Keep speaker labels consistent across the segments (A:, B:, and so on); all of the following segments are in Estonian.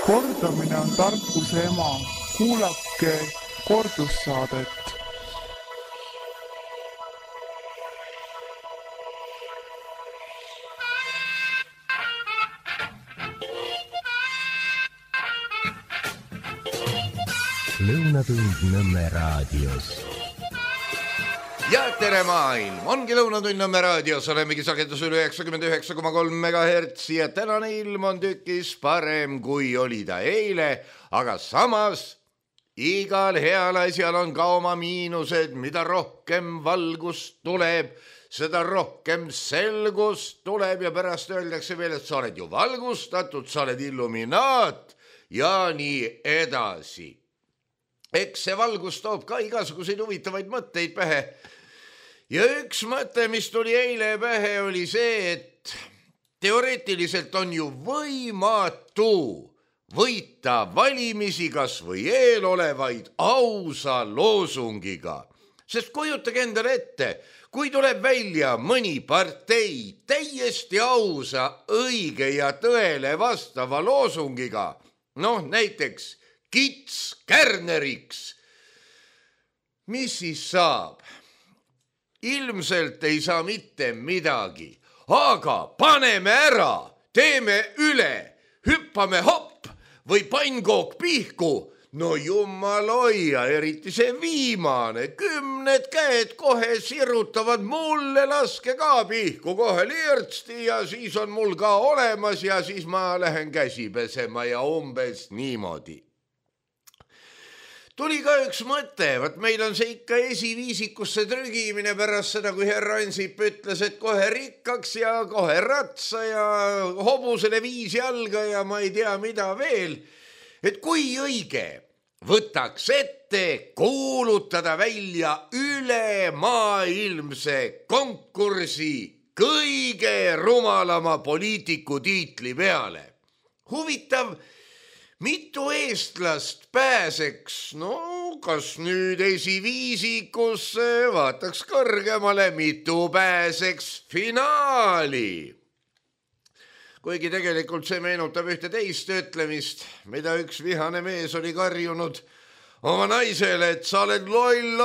A: Kordamine on tarkuse ema. Kuulake kordussaadet.
B: Lõunatund Nõmme raadios.
C: Ja tere maailm, ongi Lõunatund Nõmme raadios, olemegi sagedusel 99,3 MHz ja tänane ilm on tükis parem kui oli ta eile, aga samas igal heal asjal on ka oma miinused, mida rohkem valgust tuleb, seda rohkem selgust tuleb ja pärast öeldakse veel, et sa oled ju valgustatud, sa oled illuminaat ja nii edasi. Eks see valgus toob ka igasuguseid huvitavaid mõtteid pähe. Ja üks mõte, mis tuli eile pähe, oli see, et teoreetiliselt on ju võimatu võita valimisi kas või eelolevaid ausa loosungiga. Sest kujutage endale ette, kui tuleb välja mõni partei täiesti ausa, õige ja tõele vastava loosungiga, näiteks Kits Kärneriks. Mis siis saab? Ilmselt ei saa mitte midagi, aga paneme ära, teeme üle, hüppame hopp või pannkook pihku. No jumal hoia, eriti see viimane, 10 käed kohe sirutavad, mulle laske ka pihku kohe lirtsti ja siis on mul ka olemas ja siis ma lähen käsi pesema ja umbes niimoodi. Tuli ka üks mõte, meil on see ikka esiviisikusse trügimine pärast seda, kui härra Ansip ütles, et kohe rikkaks ja kohe ratsa ja hobusele 5 jalga ja ma ei tea mida veel. Et kui õige võtaks ette kuulutada välja ülemaailmse konkursi kõige rumalama poliitiku tiitli peale. Huvitav, mitu eestlast pääseks, kas nüüd esiviisikusse, vaataks kõrgemale, mitu pääseks finaali. Kuigi tegelikult see meenutab ühte teist ütlemist, mida üks vihane mees oli karjunud oma naisele, et sa oled loll,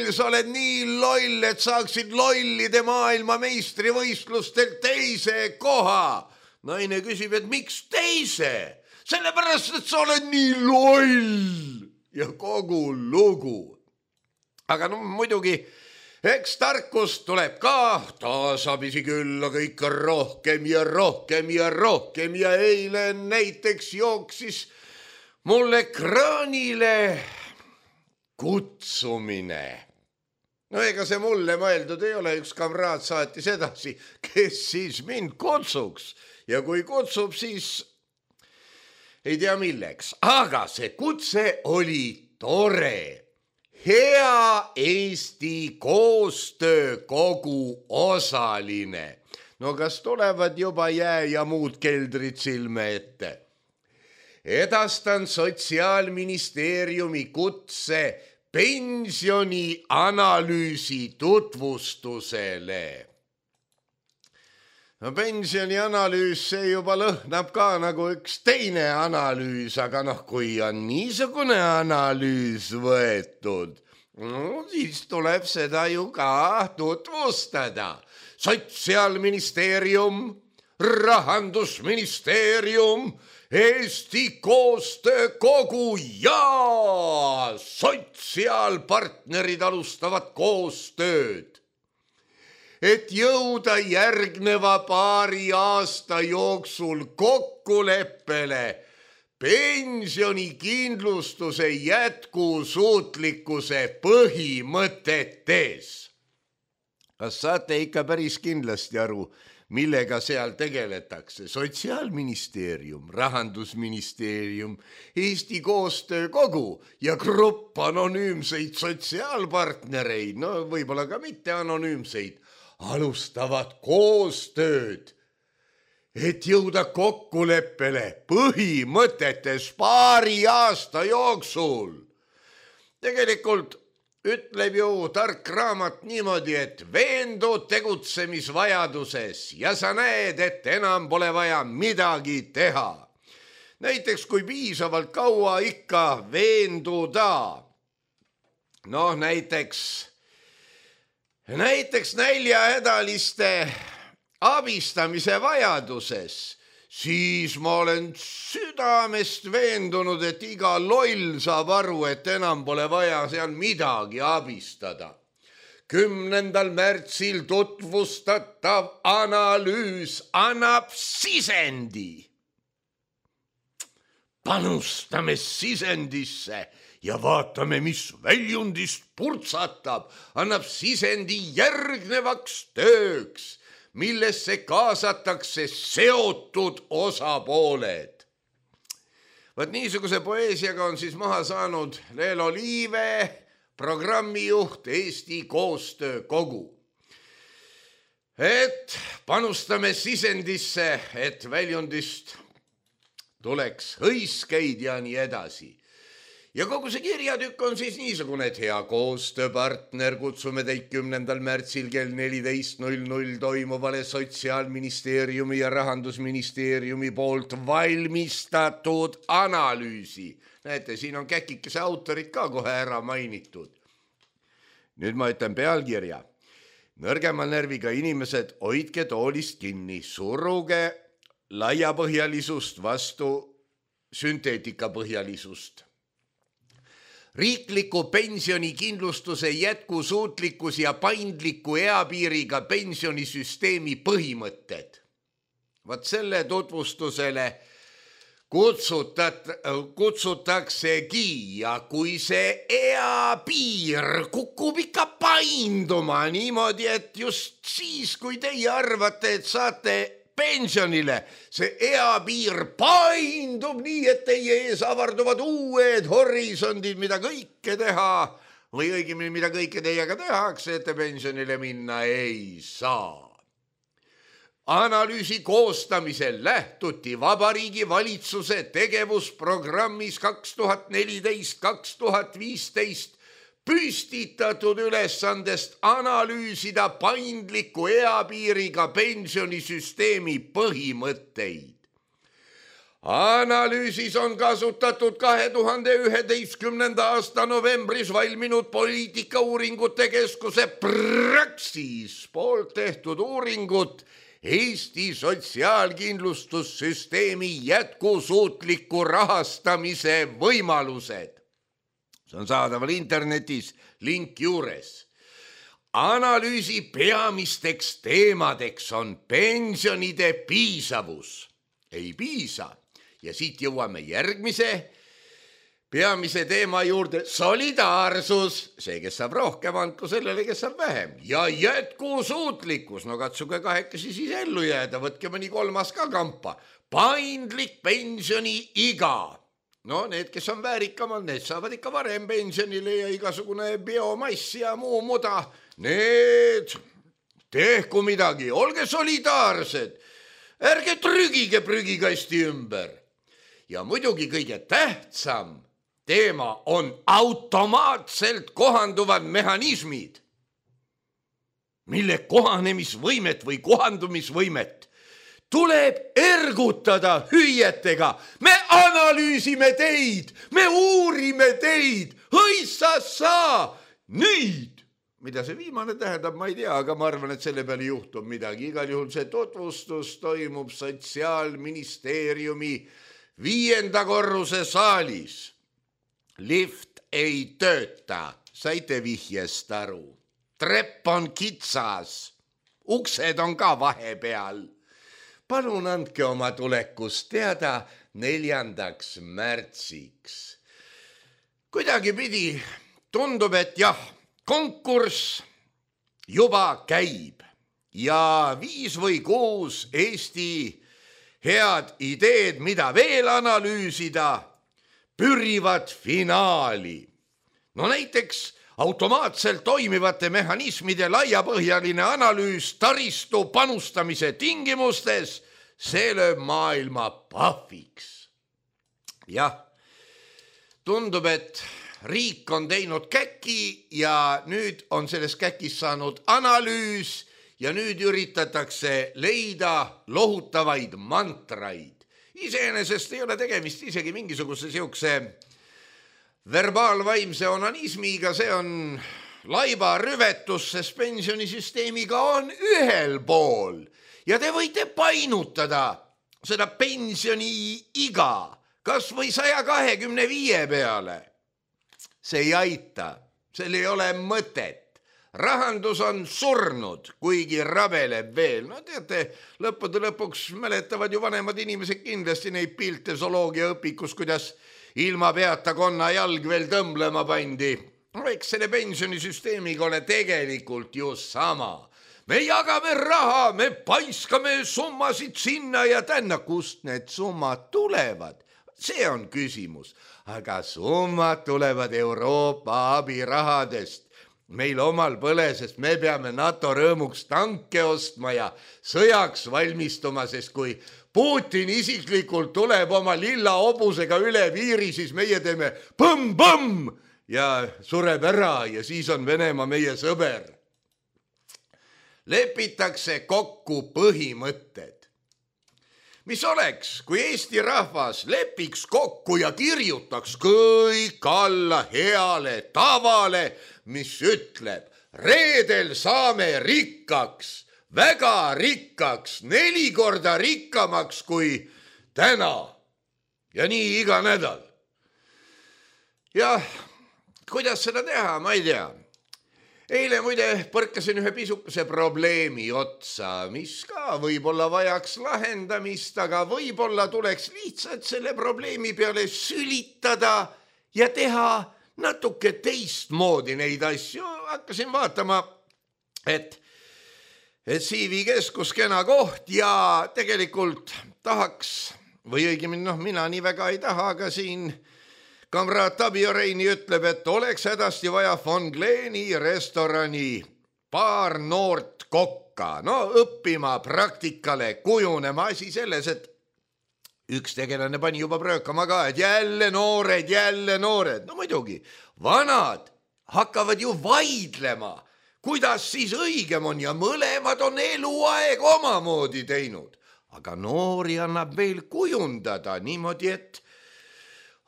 C: sa oled nii loll, et saaksid lollide maailma meistrivõistlustel teise koha. Naine küsib, et miks teise? Sellepärast, et sa oled nii loll ja kogu lugu. Aga muidugi, eks tarkust tuleb ka, taasabisi küll, aga ikka rohkem ja rohkem ja rohkem ja eile näiteks jooksis mul ekraanile kutsumine. Ega see mulle mõeldud ei ole, üks kamraad saatis edasi, kes siis mind kutsuks ja kui kutsub, siis ei tea milleks, aga see kutse oli tore. Hea Eesti koostöökogu osaline. Kas tulevad juba jää ja muud keldrid silme ette? Edastan Sotsiaalministeeriumi kutse pensionianalüüsi tutvustusele. Pensionianalüüs, see juba lõhnab ka nagu üks teine analüüs, aga kui on niisugune analüüs võetud, siis tuleb seda ju ka tutvustada. Sotsiaalministeerium, Rahandusministeerium, Eesti koostöökogu ja sotsiaalpartnerid alustavad koostööd. Et jõuda järgneva paari aasta jooksul kokkuleppele pensionikindlustuse jätkusuutlikkuse põhimõtetes. Kas saate ikka päris kindlasti aru, millega seal tegeletakse? Sotsiaalministeerium, Rahandusministeerium, Eesti koostöökogu ja grupp anonüümseid sotsiaalpartnereid, võib-olla ka mitte anonüümseid, alustavad koostööd, et jõuda kokkuleppele põhimõtetes paari aasta jooksul. Tegelikult ütleb ju tark raamat niimoodi, et veendud tegutsemisvajaduses ja sa näed, et enam pole vaja midagi teha. näiteks kui piisavalt kaua ikka veenduda. Noh, näiteks näljahädaliste abistamise vajaduses, siis ma olen südamest veendunud, et iga loll saab aru, et enam pole vaja seal midagi abistada. 10. märtsil tutvustatav analüüs annab sisendi. Panustame sisendisse ja vaatame, mis väljundist purtsatab, annab sisendi järgnevaks tööks, millesse kaasatakse seotud osapooled. Vaat niisuguse poeesiaga on siis maha saanud Leelo Liive, programmijuht Eesti Koostöökogu. Et panustame sisendisse, et väljundist tuleks hõiskeid ja nii edasi. Ja kogu see kirjatükk on siis niisugune, et hea koostööpartner, kutsume teid 10. märtsil kell 14.00 toimuvale Sotsiaalministeeriumi ja Rahandusministeeriumi poolt valmistatud analüüsi. Näete, siin on käkikese autorid ka kohe ära mainitud. Nüüd ma ütlen pealkirja. Nõrgema närviga inimesed, hoidke toolist kinni, suruge laiapõhjalisust vastu sünteetikapõhjalisust. Riikliku pensionikindlustuse jätkusuutlikkus ja paindliku eapiiriga pensionisüsteemi põhimõtted. Vaat selle tutvustusele kutsutaksegi ja kui see eapiir kukub ikka painduma niimoodi, et just siis, kui teie arvate, et saate pensionile, see eapiir paindub nii, et teie ees avarduvad uued horisondid, mida kõike teha või õigemini, mida kõike teiega tehakse, et te pensionile minna ei saa. Analüüsi koostamisel lähtuti Vabariigi Valitsuse tegevusprogrammis 2014-2015 püstitatud ülesandest analüüsida paindliku eapiiriga pensionisüsteemi põhimõtteid. Analüüsis on kasutatud 2011. aasta novembris valminud poliitikauuringute keskuse Praxis poolt tehtud uuringut Eesti sotsiaalkindlustussüsteemi jätkusuutliku rahastamise võimalused. See on saadaval internetis, link juures. Analüüsi peamisteks teemadeks on pensionide piisavus. Ei piisa. Ja siit jõuame järgmise peamise teema juurde. Solidaarsus. See, kes saab rohkem, andku sellele, kes saab vähem. Ja jätkusuutlikkus. No katsuge kahekesi siis ellu jääda. Võtke mõni kolmas ka kampa. Paindlik pensioni iga. No need, kes on väärikamad, need saavad ikka varem pensionile ja igasugune biomass ja muu muda. Need tehku midagi, olge solidaarsed, ärge trügige prügikasti ümber. Ja muidugi kõige tähtsam teema on automaatselt kohanduvad mehhanismid, mille kohanemisvõimet või kohandumisvõimet tuleb ergutada hüüetega. Me analüüsime teid, me uurime teid, hõissassa, nüüd. Mida see viimane tähendab, ma ei tea, aga ma arvan, et selle peale juhtub midagi. Igal juhul see tutvustus toimub Sotsiaalministeeriumi 5. korruse saalis. Lift ei tööta, saite vihjest aru. Trepp on kitsas, uksed on ka vahepeal. Palun andke oma tulekust teada 4. märtsiks. Kuidagi pidi tundub, et jah, konkurss juba käib ja 5 või 6 Eesti head ideed, mida veel analüüsida, pürivad finaali. No näiteks automaatselt toimivate mehhanismide laiapõhjaline analüüs taristu panustamise tingimustes, see lööb maailma pahviks. Jah, tundub, et riik on teinud käki ja nüüd on selles käkis saanud analüüs ja nüüd üritatakse leida lohutavaid mantraid. iseenesest ei ole tegemist isegi mingisuguse siukse verbaalvaimse onanismiga, see on laiba rüvetus, sest pensionisüsteemiga on ühel pool ja te võite painutada seda pensioni iga kas või 125 peale. See ei aita, seal ei ole mõtet. Rahandus on surnud, kuigi rabeleb veel. No teate, lõppude lõpuks mäletavad ju vanemad inimesed kindlasti neid pilte zooloogiaõpikus, kuidas ilma peata konna jalg veel tõmblema pandi. Eks selle pensionisüsteemiga ole tegelikult ju sama. Me jagame raha, me paiskame summasid sinna ja tänna, kust need summad tulevad. See on küsimus, aga summad tulevad Euroopa abirahadest. Meil omal põle, sest me peame NATO rõõmuks tanke ostma ja sõjaks valmistuma, sest kui Putin isiklikult tuleb oma lilla hobusega üle piiri, siis meie teeme põmm-põmm ja sureb ära ja siis on Venemaa meie sõber. Lepitakse kokku põhimõtted. Mis oleks, kui Eesti rahvas lepiks kokku ja kirjutaks kõik alla heale tavale, mis ütleb, reedel saame rikkaks, väga rikkaks, 4 korda rikkamaks kui täna ja nii iga nädal. Ja kuidas seda teha, ma ei tea. Eile muide põrkasin ühe pisukese probleemi otsa, mis ka võib-olla vajaks lahendamist, aga võib-olla tuleks lihtsalt selle probleemi peale sülitada ja teha natuke teistmoodi neid asju. Hakkasin vaatama, et CV Keskus kena koht ja tegelikult tahaks, või õigemini mina nii väga ei taha, aga siin kamraad Tabio Reini ütleb, et oleks hädasti vaja von Gleeni restorani paar noort kokka. No õppima praktikale, kujunema asi selles, et üks tegelane pani juba pröökama ka, et jälle noored. No muidugi, vanad hakkavad ju vaidlema, kuidas siis õigem on ja mõlemad on eluaeg omamoodi teinud. Aga noori annab veel kujundada niimoodi, et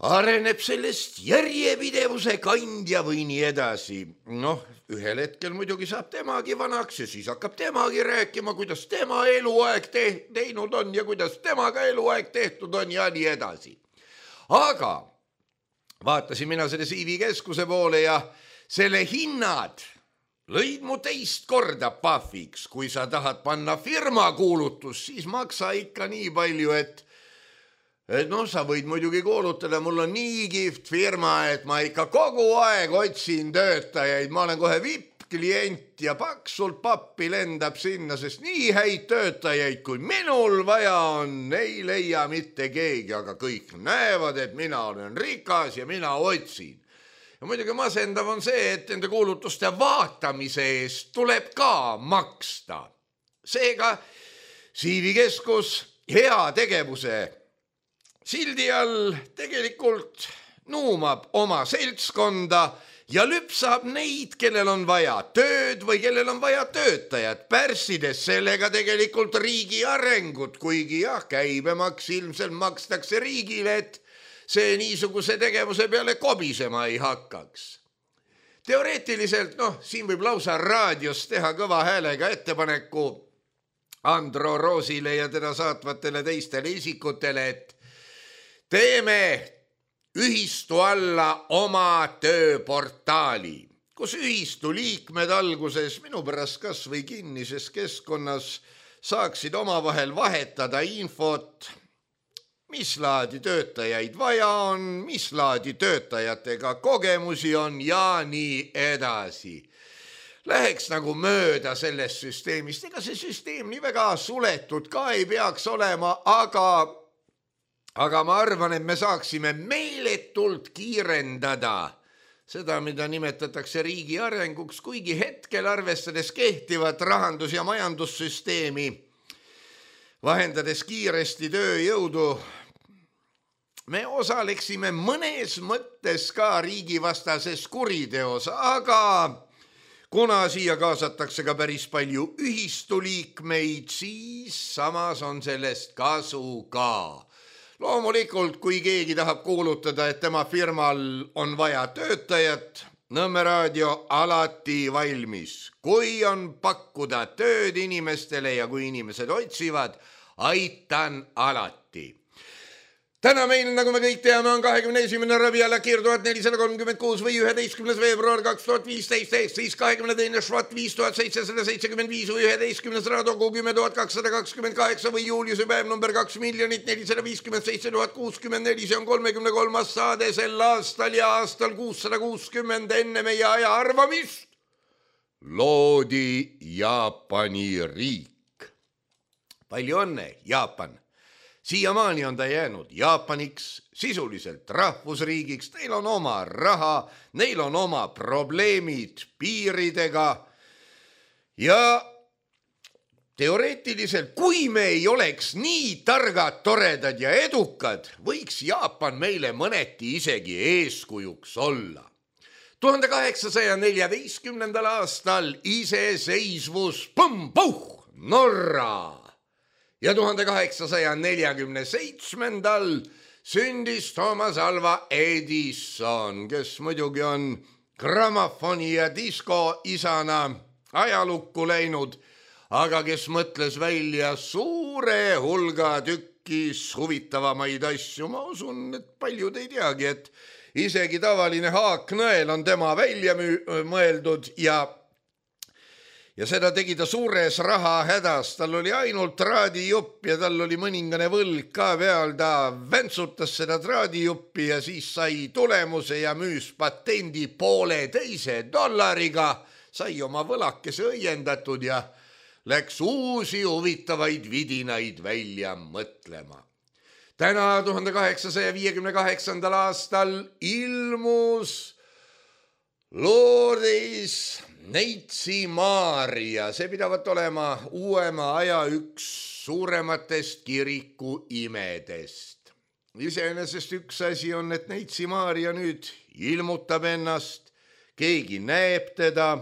C: areneb sellest järjepidevuse kandja või nii edasi. Noh, ühel hetkel muidugi saab temagi vanaks ja siis hakkab temagi rääkima, kuidas tema eluaeg teinud on ja kuidas temaga eluaeg tehtud on ja nii edasi. Aga vaatasin mina selle CV Keskuse poole ja selle hinnad lõid mu teist korda pahviks. Kui sa tahad panna firma kuulutus, siis maksa ikka nii palju, et sa võid muidugi kuulutada, mul on nii kihvt firma, et ma ikka kogu aeg otsin töötajaid, ma olen kohe VIP-klient ja paksult pappi lendab sinna, sest nii häid töötajaid, kui minul vaja on, ei leia mitte keegi, aga kõik näevad, et mina olen rikas ja mina otsin. Ja muidugi masendav on see, et nende kuulutuste vaatamise eest tuleb ka maksta. Seega CV Keskus hea tegevuse sildi all tegelikult nuumab oma seltskonda ja lüpsab neid, kellel on vaja tööd või kellel on vaja töötajat, pärssides sellega tegelikult riigi arengut, kuigi jah, käibemaks ilmselt makstakse riigile, et see niisuguse tegevuse peale kobisema ei hakkaks. Teoreetiliselt, siin võib lausa raadios teha kõva häälega ettepaneku Andro Roosile ja teda saatvatele teistele isikutele, et teeme ühistu alla oma tööportaali, kus ühistu liikmed alguses minu pärast kas või kinnises keskkonnas saaksid omavahel vahetada infot, mis laadi töötajaid vaja on, mis laadi töötajatega kogemusi on ja nii edasi. Läheks nagu mööda sellest süsteemist, ega see süsteem nii väga suletud ka ei peaks olema, aga ma arvan, et me saaksime meeletult kiirendada seda, mida nimetatakse riigi arenguks, kuigi hetkel arvestades kehtivat rahandus- ja majandussüsteemi, vahendades kiiresti tööjõudu, me osaleksime mõnes mõttes ka riigivastases kuriteos, aga kuna siia kaasatakse ka päris palju ühistuliikmeid, siis samas on sellest kasu ka. Loomulikult, kui keegi tahab kuulutada, et tema firmal on vaja töötajat, Nõmme raadio alati valmis. Kui on pakkuda tööd inimestele ja kui inimesed otsivad, aitan alati. Täna meil, nagu me kõik teame, on 21. Rabial Akir 1436 või 11. veebruar 2015, siis 22. Švat 5775 või 11. Radogu 10228 või Juliuse päev number 2 457 064, see on 33. saade sel aastal ja aastal 660 enne meie aja arvamist loodi Jaapani riik. Palju õnne, Jaapan! Siiamaani on ta jäänud Jaapaniks, sisuliselt rahvusriigiks, neil on oma raha, neil on oma probleemid piiridega ja teoreetiliselt, kui me ei oleks nii targad, toredad ja edukad, võiks Jaapan meile mõneti isegi eeskujuks olla. 1814. aastal iseseisvus, põmm-puh, Norra! Ja 1847. sündis Thomas Alva Edison, kes muidugi on grammofoni ja disko isana ajalukku läinud, aga kes mõtles välja suure hulga tükkis huvitavamaid asju. Ma usun, et paljud ei teagi, et isegi tavaline haaknõel on tema välja mõeldud ja seda tegi ta suures rahahädas. Tal oli ainult traadijupp ja tal oli mõningane võlg ka peal. Ta väntsutas seda traadijuppi ja siis sai tulemuse ja müüs patendi $1,5 sai oma võlakese õiendatud ja läks uusi huvitavaid vidinaid välja mõtlema. Täna 1858. aastal ilmus Lourdes Neitsi Maarja, see pidavat olema uuema aja üks suurematest kiriku imedest. Iseenesest üks asi on, et Neitsi Maarja nüüd ilmutab ennast, keegi näeb teda.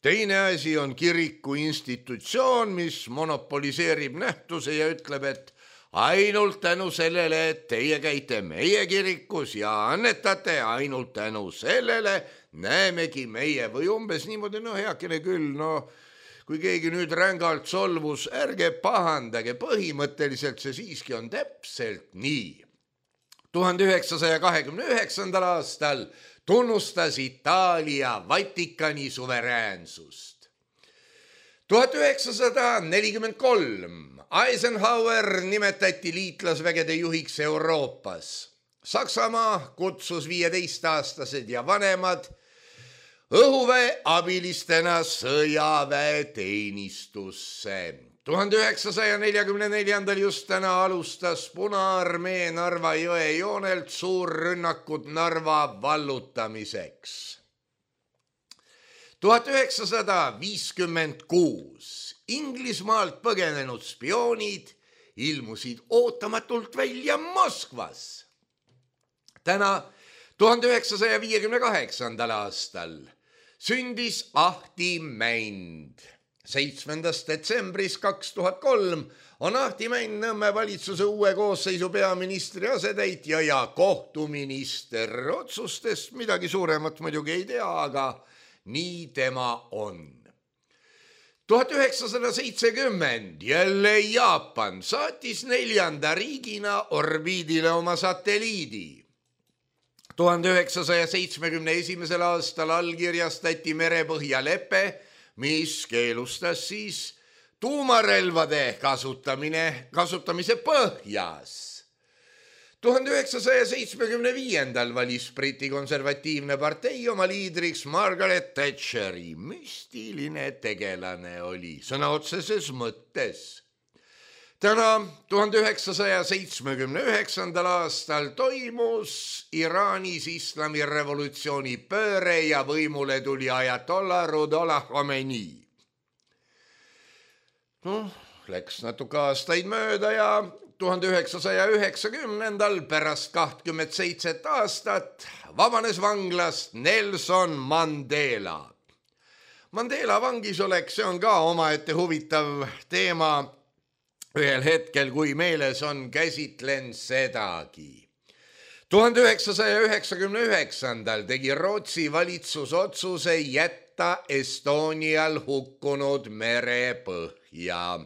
C: Teine asi on kiriku institutsioon, mis monopoliseerib nähtuse ja ütleb, et ainult tänu sellele, et teie käite meie kirikus ja annetate, ainult tänu sellele näemegi meie või umbes niimoodi, heakene küll, kui keegi nüüd rängalt solvus, ärge pahandage, põhimõtteliselt see siiski on täpselt nii. 1929. aastal tunnustas Itaalia Vatikani suveräänsust. 1943 Eisenhower nimetati liitlasvägede juhiks Euroopas. Saksamaa kutsus 15-aastased ja vanemad õhuväe abilistena sõjaväeteenistusse. 1944. just täna alustas Punaarmee Narva jõe joonelt suurrünnakud Narva vallutamiseks. 1956 Inglismaalt põgenenud spioonid ilmusid ootamatult välja Moskvas. Täna 1958. aastal sündis Ahti Mänd. 7. detsembris 2003 on Ahti Mänd Nõmme valitsuse uue koosseisu peaministri asetäitja ja kohtuminister. Otsustest midagi suuremat muidugi ei tea, aga nii tema on. 1970 jälle Jaapan saatis 4. riigina orbiidile oma satelliidi. 1971. aastal allkirjastati merepõhjalepe, mis keelustas siis tuumarelvade kasutamise põhjas. 1975. valis Briti konservatiivne partei oma liidriks Margaret Thatcheri. Müstiline tegelane oli sõna otseses mõttes. Täna 1979. aastal toimus Iraanis islamirevolutsiooni pööre ja võimule tuli ajatollah Ruhollah Khomeini. Läks natuke aastaid mööda ja 1990. pärast 27 aastat vabanes vanglast Nelson Mandela. Mandela vangisolek, see on ka omaette huvitav teema. ühel hetkel, kui meeles on, käsitlen sedagi. 1999. tegi Rootsi valitsus otsuse jätta Estonial hukkunud merepõhja.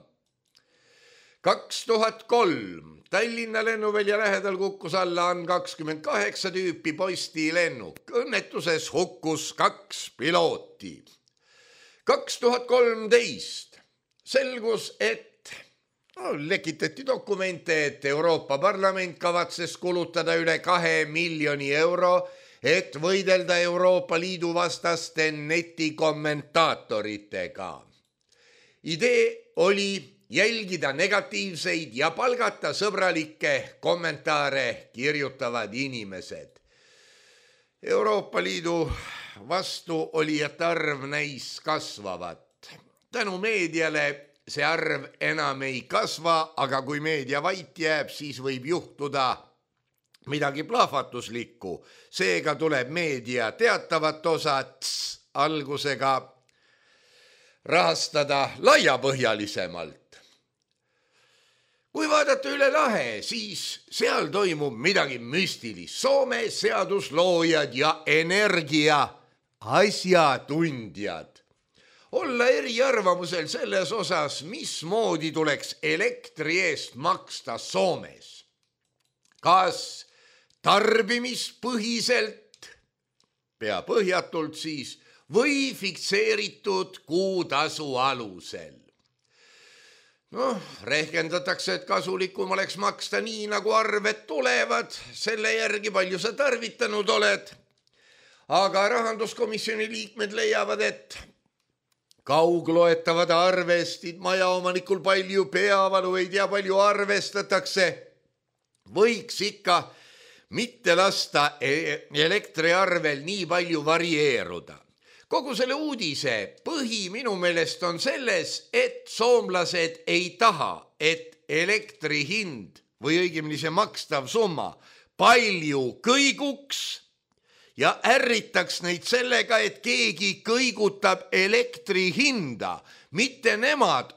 C: 2003 Tallinna lennuvälja lähedal kukkus alla AN-28 tüüpi postilennuk. Õnnetuses hukkus 2 pilooti. 2013 selgus, et lekitati dokumente, et Euroopa Parlament kavatses kulutada üle 2 miljoni euro, et võidelda Euroopa Liidu vastaste netikommentaatoritega. Idee oli jälgida negatiivseid ja palgata sõbralikke kommentaare kirjutavad inimesed. Euroopa Liidu vastu olijate arv näis kasvavat. Tänu meediale see arv enam ei kasva, aga kui meedia vait jääb, siis võib juhtuda midagi plahvatuslikku. Seega tuleb meedia teatavat osa algusega rahastada laiapõhjalisemalt. Kui vaadata üle lahe, siis seal toimub midagi müstilist. Soome seadusloojad ja energia asjatundjad. Olla eriarvamusel selles osas, mismoodi tuleks elektri eest maksta Soomes. Kas tarbimispõhiselt, pea põhjatult siis, või fikseeritud kuutasu alusel. Rehkendatakse, et kasulikum oleks maksta nii, nagu arved tulevad, selle järgi palju sa tarvitanud oled. Aga rahanduskomisjoni liikmed leiavad, et kaugloetavad arvestid, majaomanikul palju peavalu, ei tea palju arvestatakse. Võiks ikka mitte lasta elektriarvel nii palju varieeruda. Kogu selle uudise põhi minu meelest on selles, et soomlased ei taha, et elektri hind või õigemini see makstav summa palju kõiguks ja ärritaks neid sellega, et keegi kõigutab elektri hinda. Mitte nemad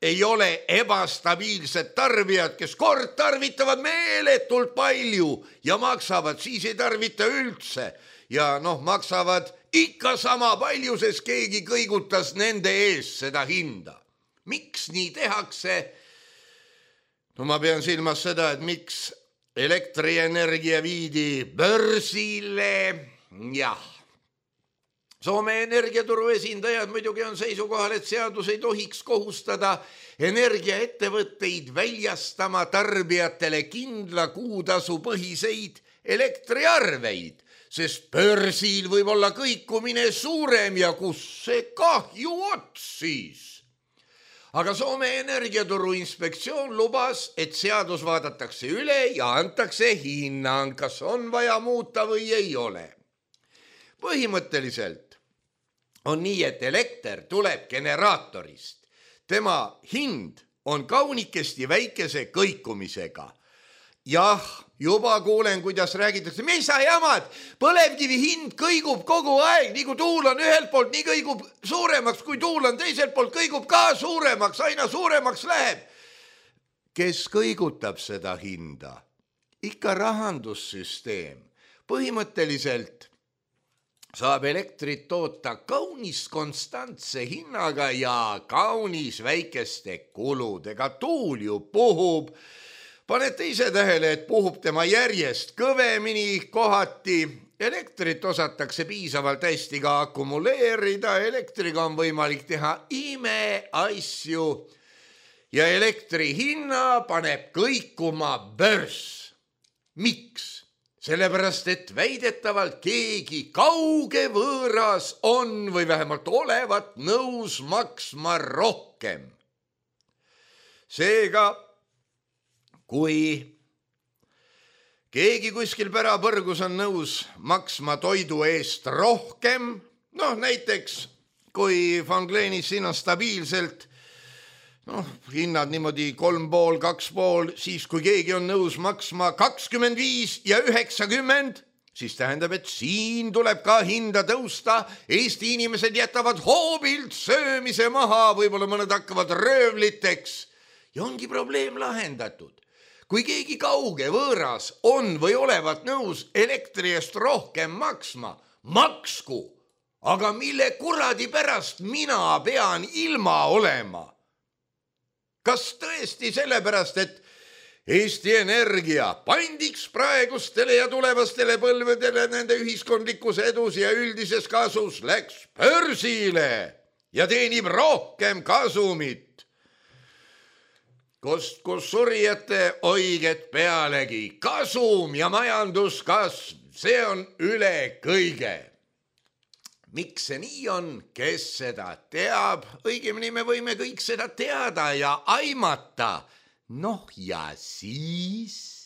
C: ei ole ebastabiilsed tarbijad, kes kord tarvitavad meeletult palju ja maksavad, siis ei tarvita üldse ja maksavad ikka sama palju, sest keegi kõigutas nende ees seda hinda. Miks nii tehakse? Ma pean silmas seda, et miks elektrienergia viidi börsile. Jah. Soome energiaturu esindajad muidugi on seisukohal, et seadus ei tohiks kohustada energiaettevõtteid väljastama tarbijatele kindla kuutasu põhiseid elektriarveid, sest börsil võib olla kõikumine suurem ja kus see kahju ots siis. Aga Soome energiaturu inspektsioon lubas, et seadus vaadatakse üle ja antakse hinnang, kas on vaja muuta või ei ole. Põhimõtteliselt on nii, et elekter tuleb generaatorist. Tema hind on kaunikesti väikese kõikumisega. Jah, juba kuulen, kuidas räägitakse, mis sa jamad, põlevkivi hind kõigub kogu aeg, nii kui tuul on ühelt poolt, nii kõigub suuremaks, kui tuul on teiselt poolt, kõigub ka suuremaks, aina suuremaks läheb. Kes kõigutab seda hinda? Ikka rahandussüsteem. Põhimõtteliselt saab elektrit toota kaunis konstantse hinnaga ja kaunis väikeste kuludega. Tuul ju puhub. Panete ise tähele, et puhub tema järjest kõvemini kohati. Elektrit osatakse piisavalt hästi ka akumuleerida. Elektriga on võimalik teha imeasju. Ja elektri hinna paneb kõikuma börs. Miks? Sellepärast, et väidetavalt keegi kauge võõras on või vähemalt olevat nõus maksma rohkem. Seega, kui keegi kuskil pärapõrgus on nõus maksma toidu eest rohkem, näiteks kui Fanglenis siin on stabiilselt hinnad niimoodi 3,5, 2,5, siis kui keegi on nõus maksma 25 ja 90, siis tähendab, et siin tuleb ka hinda tõusta. Eesti inimesed jätavad hoobilt söömise maha, võib-olla mõned hakkavad röövliteks ja ongi probleem lahendatud. Kui keegi kauge võõras on või olevat nõus elektri eest rohkem maksma, maksku, aga mille kuradi pärast mina pean ilma olema? Kas tõesti sellepärast, et Eesti Energia pandiks praegustele ja tulevastele põlvedele nende ühiskondlikus edus ja üldises kasus läks börsile ja teenib rohkem kasumit? Kus surijate oiget pealegi, kasum ja majanduskasv, see on üle kõige. Miks see nii on, kes seda teab? Õigemini me võime kõik seda teada ja aimata. Noh ja siis...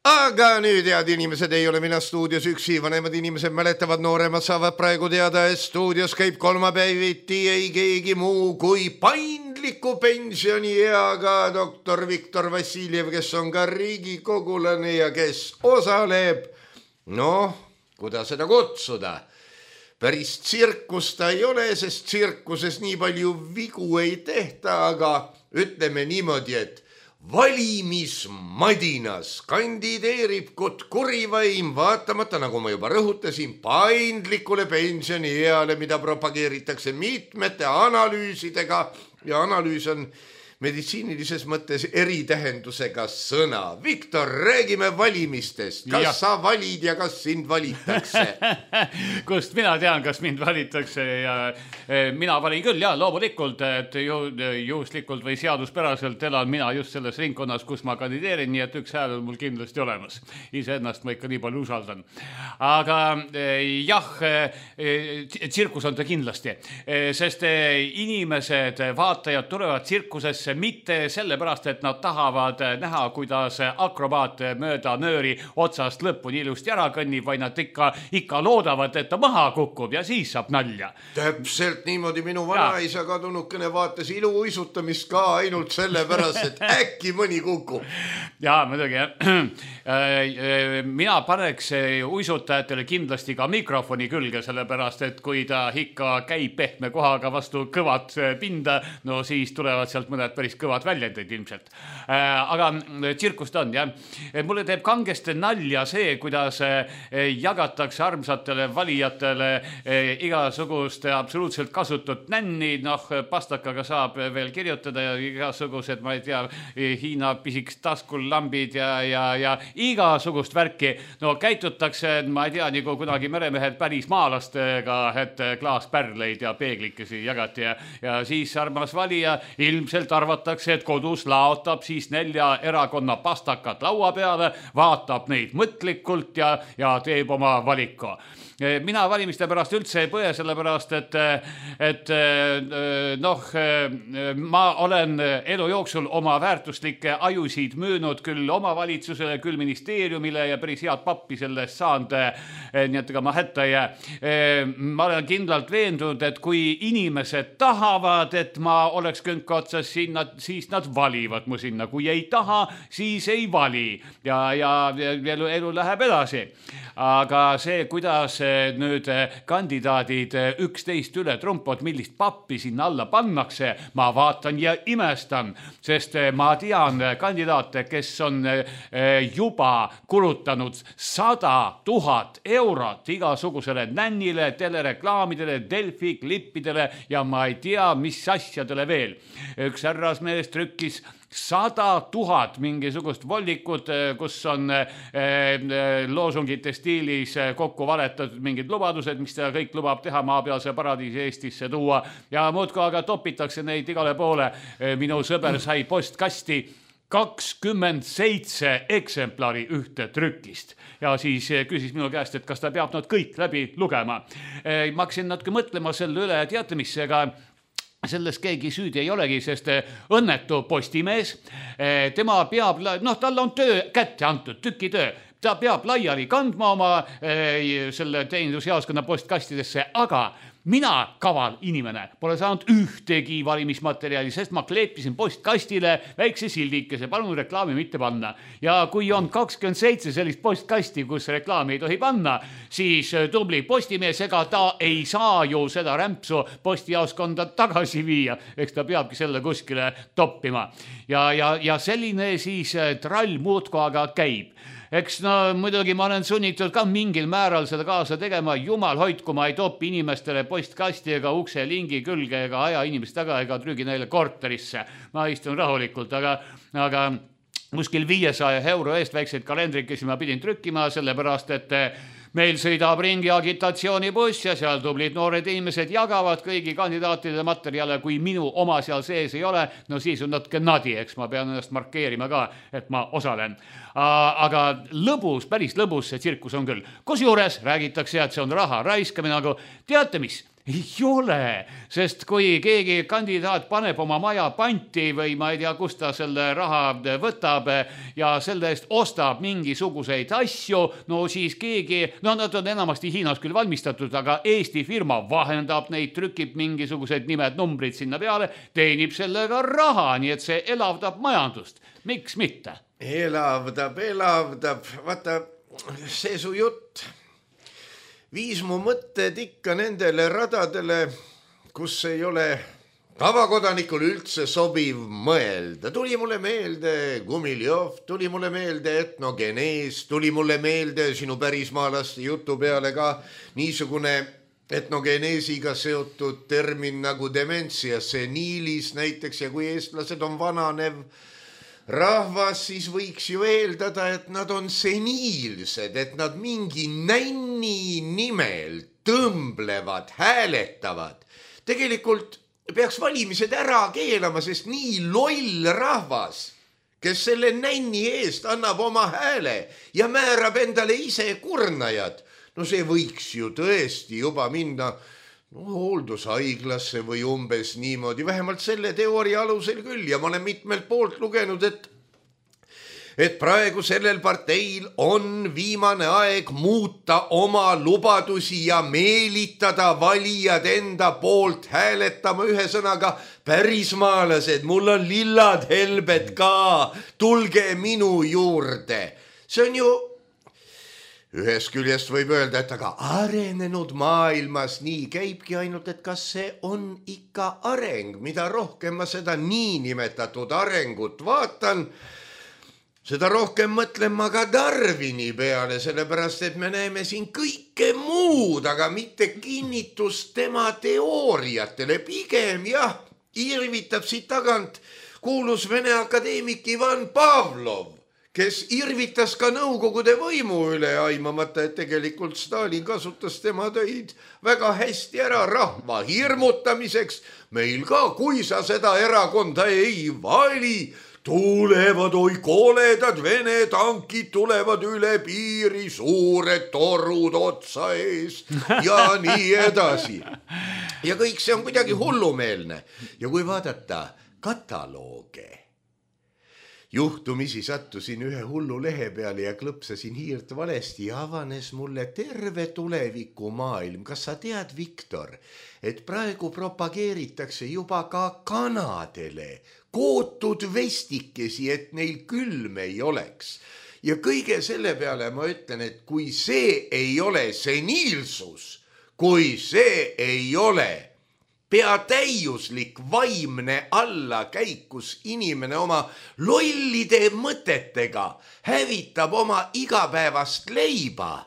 C: Aga nüüd, head inimesed, ei ole mina stuudios üksi, vanemad inimesed mäletavad, nooremad saavad praegu teada, et stuudios käib kolmapäeviti ei keegi muu kui paindliku pensionieaga doktor Viktor Vassiljev, kes on ka riigikogulane ja kes osaleb, kuidas seda kutsuda? Päris tsirkus ta ei ole, sest tsirkuses nii palju vigu ei tehta, aga ütleme niimoodi, et valimismadinas kandideerib kurivaim vaatamata, nagu ma juba rõhutasin, paindlikule pensionieale, mida propageeritakse mitmete analüüsidega ja analüüs on meditsiinilises mõttes eritähendusega sõna. Viktor, räägime valimistest. Kas sa valid ja kas sind valitakse?
D: Kust mina tean, kas mind valitakse ja mina valin küll, loomulikult, et juhuslikult või seaduspäraselt elan mina just selles ringkonnas, kus ma kandideerin, nii et üks hääl on mul kindlasti olemas. Iseennast ma ikka nii palju usaldan. Aga tsirkus on ta kindlasti, sest inimesed, vaatajad tulevad tsirkusesse mitte sellepärast, et nad tahavad näha, kuidas akrobaat mööda nööri otsast lõpuni ilusti ära kõnnib, vaid nad ikka loodavad, et ta maha kukub ja siis saab nalja.
C: Täpselt niimoodi minu vanaisa kadunukene vaatas iluuisutamist ka ainult sellepärast, et äkki mõni kukub.
D: Jaa, muidugi. Mina paneks uisutajatele kindlasti ka mikrofoni külge, sellepärast, et kui ta ikka käib pehme kohaga vastu kõvat pinda, siis tulevad sealt mõned päris kõvad väljendid ilmselt. Aga tsirkust on, jah. Mulle teeb kangesti nalja see, kuidas jagatakse armsatele valijatele igasugust absoluutselt kasutut nänni, pastakaga saab veel kirjutada ja igasugused, ma ei tea, Hiina pisiks taskul lambid ja igasugust värki. Käitutakse, ma ei tea, nagu kunagi meremehed päris maalastega, et klaaspärleid ja peeglikesi jagati ja siis armas valija ilmselt arvatakse, et kodus laotab siis 4 erakonna pastakat laua peale, vaatab neid mõtlikult ja teeb oma valiku. Mina valimiste pärast üldse ei põe, sellepärast, et ma olen elu jooksul oma väärtuslikke ajusid müünud küll omavalitsusele, küll ministeeriumile ja päris head pappi sellest saanud, nii et ega ma hätta ei jää. Ma olen kindlalt veendunud, et kui inimesed tahavad, et ma oleks künka otsas, siis nad valivad mu sinna. Kui ei taha, siis ei vali ja elu läheb edasi. Aga see, kuidas nüüd kandidaadid 11 üle trumpod, millist pappi sinna alla pannakse, ma vaatan ja imestan, sest ma tean kandidaate, kes on juba kulutanud 100 000 eurot igasugusele nännile, telereklaamidele, Delfi klippidele ja ma ei tea, mis asjadele veel. Üks härrasmees trükkis 100 000 mingisugust vollikut, kus on loosungite stiilis kokku valetatud mingid lubadused, mis ta kõik lubab teha maapealse paradiisi Eestisse tuua ja muudkui aga topitakse neid igale poole. Minu sõber sai postkasti 27 eksemplari ühte trükist ja siis küsis minu käest, et kas ta peab nad kõik läbi lugema. Ma hakkasin natuke mõtlema selle üle, teate mis, ega selles keegi süüdi ei olegi, sest õnnetu postimees, tema peab, tal on töö kätte antud, tükitöö, ta peab laiali kandma oma selle teenindusjaoskonna postkastidesse, aga mina, kaval inimene, pole saanud ühtegi valimismaterjali, sest ma kleepisin postkastile väikse sildikese, palun reklaami mitte panna. Ja kui on 27 sellist postkasti, kus reklaami ei tohi panna, siis tubli postimees, ega ta ei saa ju seda rämpsu postijaoskonda tagasi viia. Eks ta peabki selle kuskile toppima. Ja selline siis trall muudku aga käib. Eks no muidugi ma olen sunnitud ka mingil määral seda kaasa tegema. Jumal hoidku, ma ei topi inimestele postkasti ega ukse lingi külge ega aja inimest taga ega trügi neile korterisse. Ma istun rahulikult, aga kuskil 500 € eest väikseid kalendrikesi ma pidin trükkima, sellepärast et meil sõidab ringi agitatsioonibuss ja seal tublid noored inimesed jagavad kõigi kandidaatide materjale. Kui minu oma seal sees ei ole, no siis on natuke nadi, eks ma pean ennast markeerima ka, et ma osalen. Aga lõbus, päris lõbus see tsirkus on küll. Kusjuures räägitakse, et see on raha raiskamine, nagu teate mis? Ei ole, sest kui keegi kandidaat paneb oma maja panti või ma ei tea, kust ta selle raha võtab ja selle eest ostab mingisuguseid asju, no siis keegi, no nad on enamasti Hiinas küll valmistatud, aga Eesti firma vahendab neid, trükib mingisugused nimed, numbrid sinna peale, teenib sellega raha, nii et see elavdab majandust. Miks mitte?
C: Elavdab. Vaata, see su jutt viis mu mõtted ikka nendele radadele, kus ei ole tavakodanikul üldse sobiv mõelda. Tuli mulle meelde Gumiljov, tuli mulle meelde etnogenees, tuli mulle meelde sinu pärismaalaste jutu peale ka niisugune etnogeneesiga seotud termin nagu dementsia seniilis näiteks, ja kui eestlased on vananev rahvas, siis võiks ju eeldada, et nad on seniilsed, et nad mingi nänni nimel tõmblevad, hääletavad. Tegelikult peaks valimised ära keelama, sest nii loll rahvas, kes selle nänni eest annab oma hääle ja määrab endale ise kurnajad, no see võiks ju tõesti juba minna hooldushaiglasse või umbes niimoodi, vähemalt selle teooria alusel küll. Ja ma olen mitmelt poolt lugenud, et praegu sellel parteil on viimane aeg muuta oma lubadusi ja meelitada valijad enda poolt hääletama. Ühesõnaga, pärismaalased, mul on lillad helbed ka, tulge minu juurde. See on ju ühest küljest võib öelda, et aga arenenud maailmas nii käibki, ainult et kas see on ikka areng, mida rohkem ma seda niinimetatud arengut vaatan, seda rohkem mõtlen ma ka Darwini peale, sellepärast et me näeme siin kõike muud, aga mitte kinnitust tema teooriatele. Pigem jah, irvitab siit tagant kuulus Vene akadeemik Ivan Pavlov, kes irvitas ka Nõukogude võimu üle, aimamata, et tegelikult Stalin kasutas tema töid väga hästi ära rahva hirmutamiseks. Meil ka, kui sa seda erakonda ei vali, tulevad oi koledad Vene tankid, tulevad üle piiri, suured torud otsa ees ja nii edasi. Ja kõik see on kuidagi hullumeelne. Ja kui vaadata katalooge, juhtumisi sattusin ühe hullu lehe peale ja klõpsasin hiirt valesti ja avanes mulle terve tuleviku maailm. Kas sa tead, Viktor, et praegu propageeritakse juba ka kanadele kootud vestikesi, et neil külm ei oleks. Ja kõige selle peale ma ütlen, et kui see ei ole seniilsus, kui see ei ole peatäiuslik vaimne allakäik, kus inimene oma lollide mõtetega hävitab oma igapäevast leiba.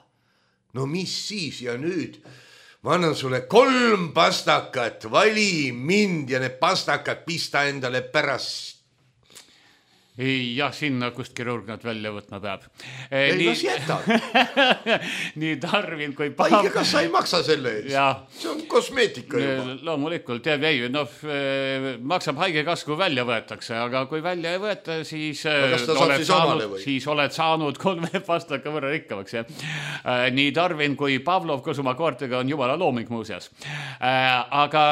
C: No mis siis, ja nüüd ma annan sulle 3 pastakat, vali mind ja need pastakad pista endale pärast.
D: Jah, sinna, kust kirurg nad välja võtma peab.
C: Ei, kas jätad?
D: Nii Darwin kui
C: Kas sa ei maksa selle eest? See on kosmeetika juba.
D: Loomulikult, maksab haigekassa, kui välja võetakse, aga kui välja ei võeta, siis oled saanud 3 pastaka võrra rikkamaks. Nii Darwin kui Pavlov koos oma koortega on jumala looming muuseas. Aga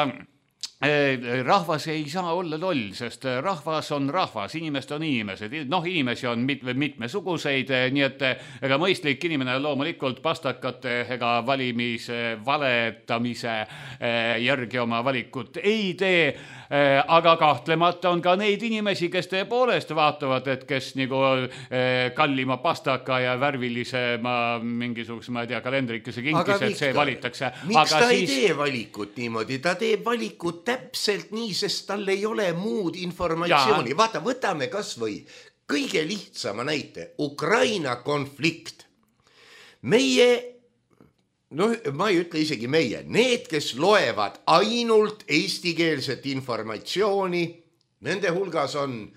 D: rahvas ei saa olla loll, sest rahvas on rahvas, inimesed on inimesed, inimesi on mitmesuguseid, nii et ega mõistlik inimene loomulikult pastakate ega valetamise järgi oma valikut ei tee, aga kahtlemata on ka neid inimesi, kes tõepoolest vaatavad, et kes nagu kallima pastaka ja värvilisema mingisuguse, ma ei tea, kalendrikese kinkis, et see valitakse.
C: Miks ta ei tee valikut niimoodi? Ta teeb valikut täpselt nii, sest tal ei ole muud informatsiooni. Vaata, võtame kas või kõige lihtsama näite. Ukraina konflikt. Meie, ma ei ütle isegi meie, need, kes loevad ainult eestikeelset informatsiooni, nende hulgas on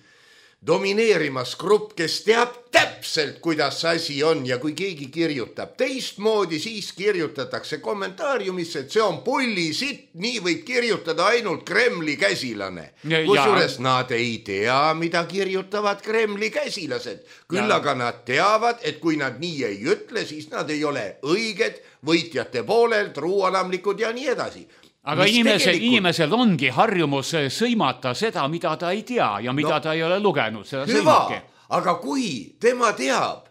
C: domineerimas grupp, kes teab täpselt, kuidas see asi on ja kui keegi kirjutab teistmoodi, siis kirjutatakse kommentaariumisse, et see on pullisit, nii võib kirjutada ainult Kremli käsilane. Kusjuures nad ei tea, mida kirjutavad Kremli käsilased. Küll aga nad teavad, et kui nad nii ei ütle, siis nad ei ole õiged, võitjate poolel, truualamlikud ja nii edasi.
D: Aga inimesel ongi harjumus sõimata seda, mida ta ei tea ja mida ta ei ole lugenud.
C: Hüva, aga kui tema teab,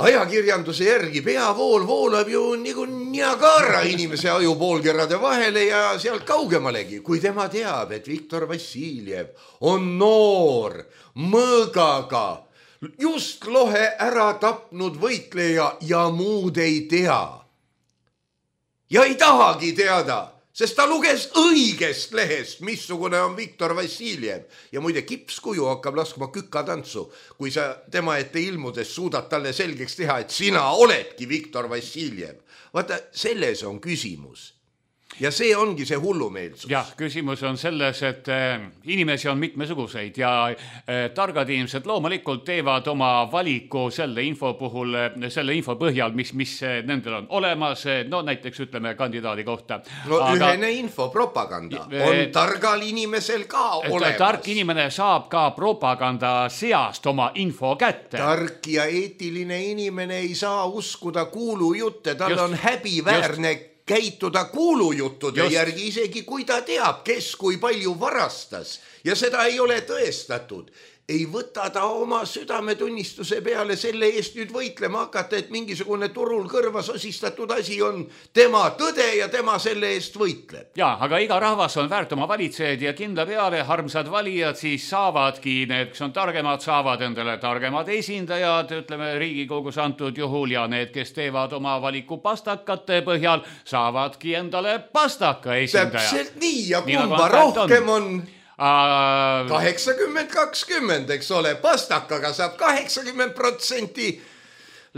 C: ajakirjanduse järgi peavool voolab ju nagu Niagara inimese ajupoolkerade vahele ja sealt kaugemalegi. Kui tema teab, et Viktor Vassiljev on noor, mõõgaga, just lohe ära tapnud võitleja ja muud ei tea. Ja ei tahagi teada, sest ta luges õigest lehest, missugune on Viktor Vassiljev. Ja muide, kipskuju hakkab laskma kükatantsu, kui sa tema ette ilmudes suudad talle selgeks teha, et sina oledki Viktor Vassiljev. Vaata, selles on küsimus. Ja see ongi see hullumeelsus.
D: Jah, küsimus on selles, et inimesi on mitmesuguseid ja targad inimesed loomulikult teevad oma valiku selle info puhul, selle info põhjal, mis nendel on olemas, näiteks ütleme kandidaadi kohta.
C: Ühene info, propaganda on targal inimesel ka olemas.
D: Tark inimene saab ka propaganda seast oma info kätte.
C: Tark ja eetiline inimene ei saa uskuda kuulujutte, tal on häbiväärne käituda kuulujuttude järgi, isegi kui ta teab, kes kui palju varastas ja seda ei ole tõestatud. Ei võta ta oma südametunnistuse peale selle eest nüüd võitlema hakata, et mingisugune turul kõrvas osistatud asi on tema tõde ja tema selle eest võitleb.
D: Ja, aga iga rahvas on väärt oma valitsejad ja kindla peale harmsad valijad siis saavadki, need, kes on targemad, saavad endale targemad esindajad, ütleme Riigikogus antud juhul ja need, kes teevad oma valiku pastakate põhjal, saavadki endale pastaka esindaja.
C: Täpselt nii ja kumba rohkem on 80-20, eks ole, pastakaga saab 80%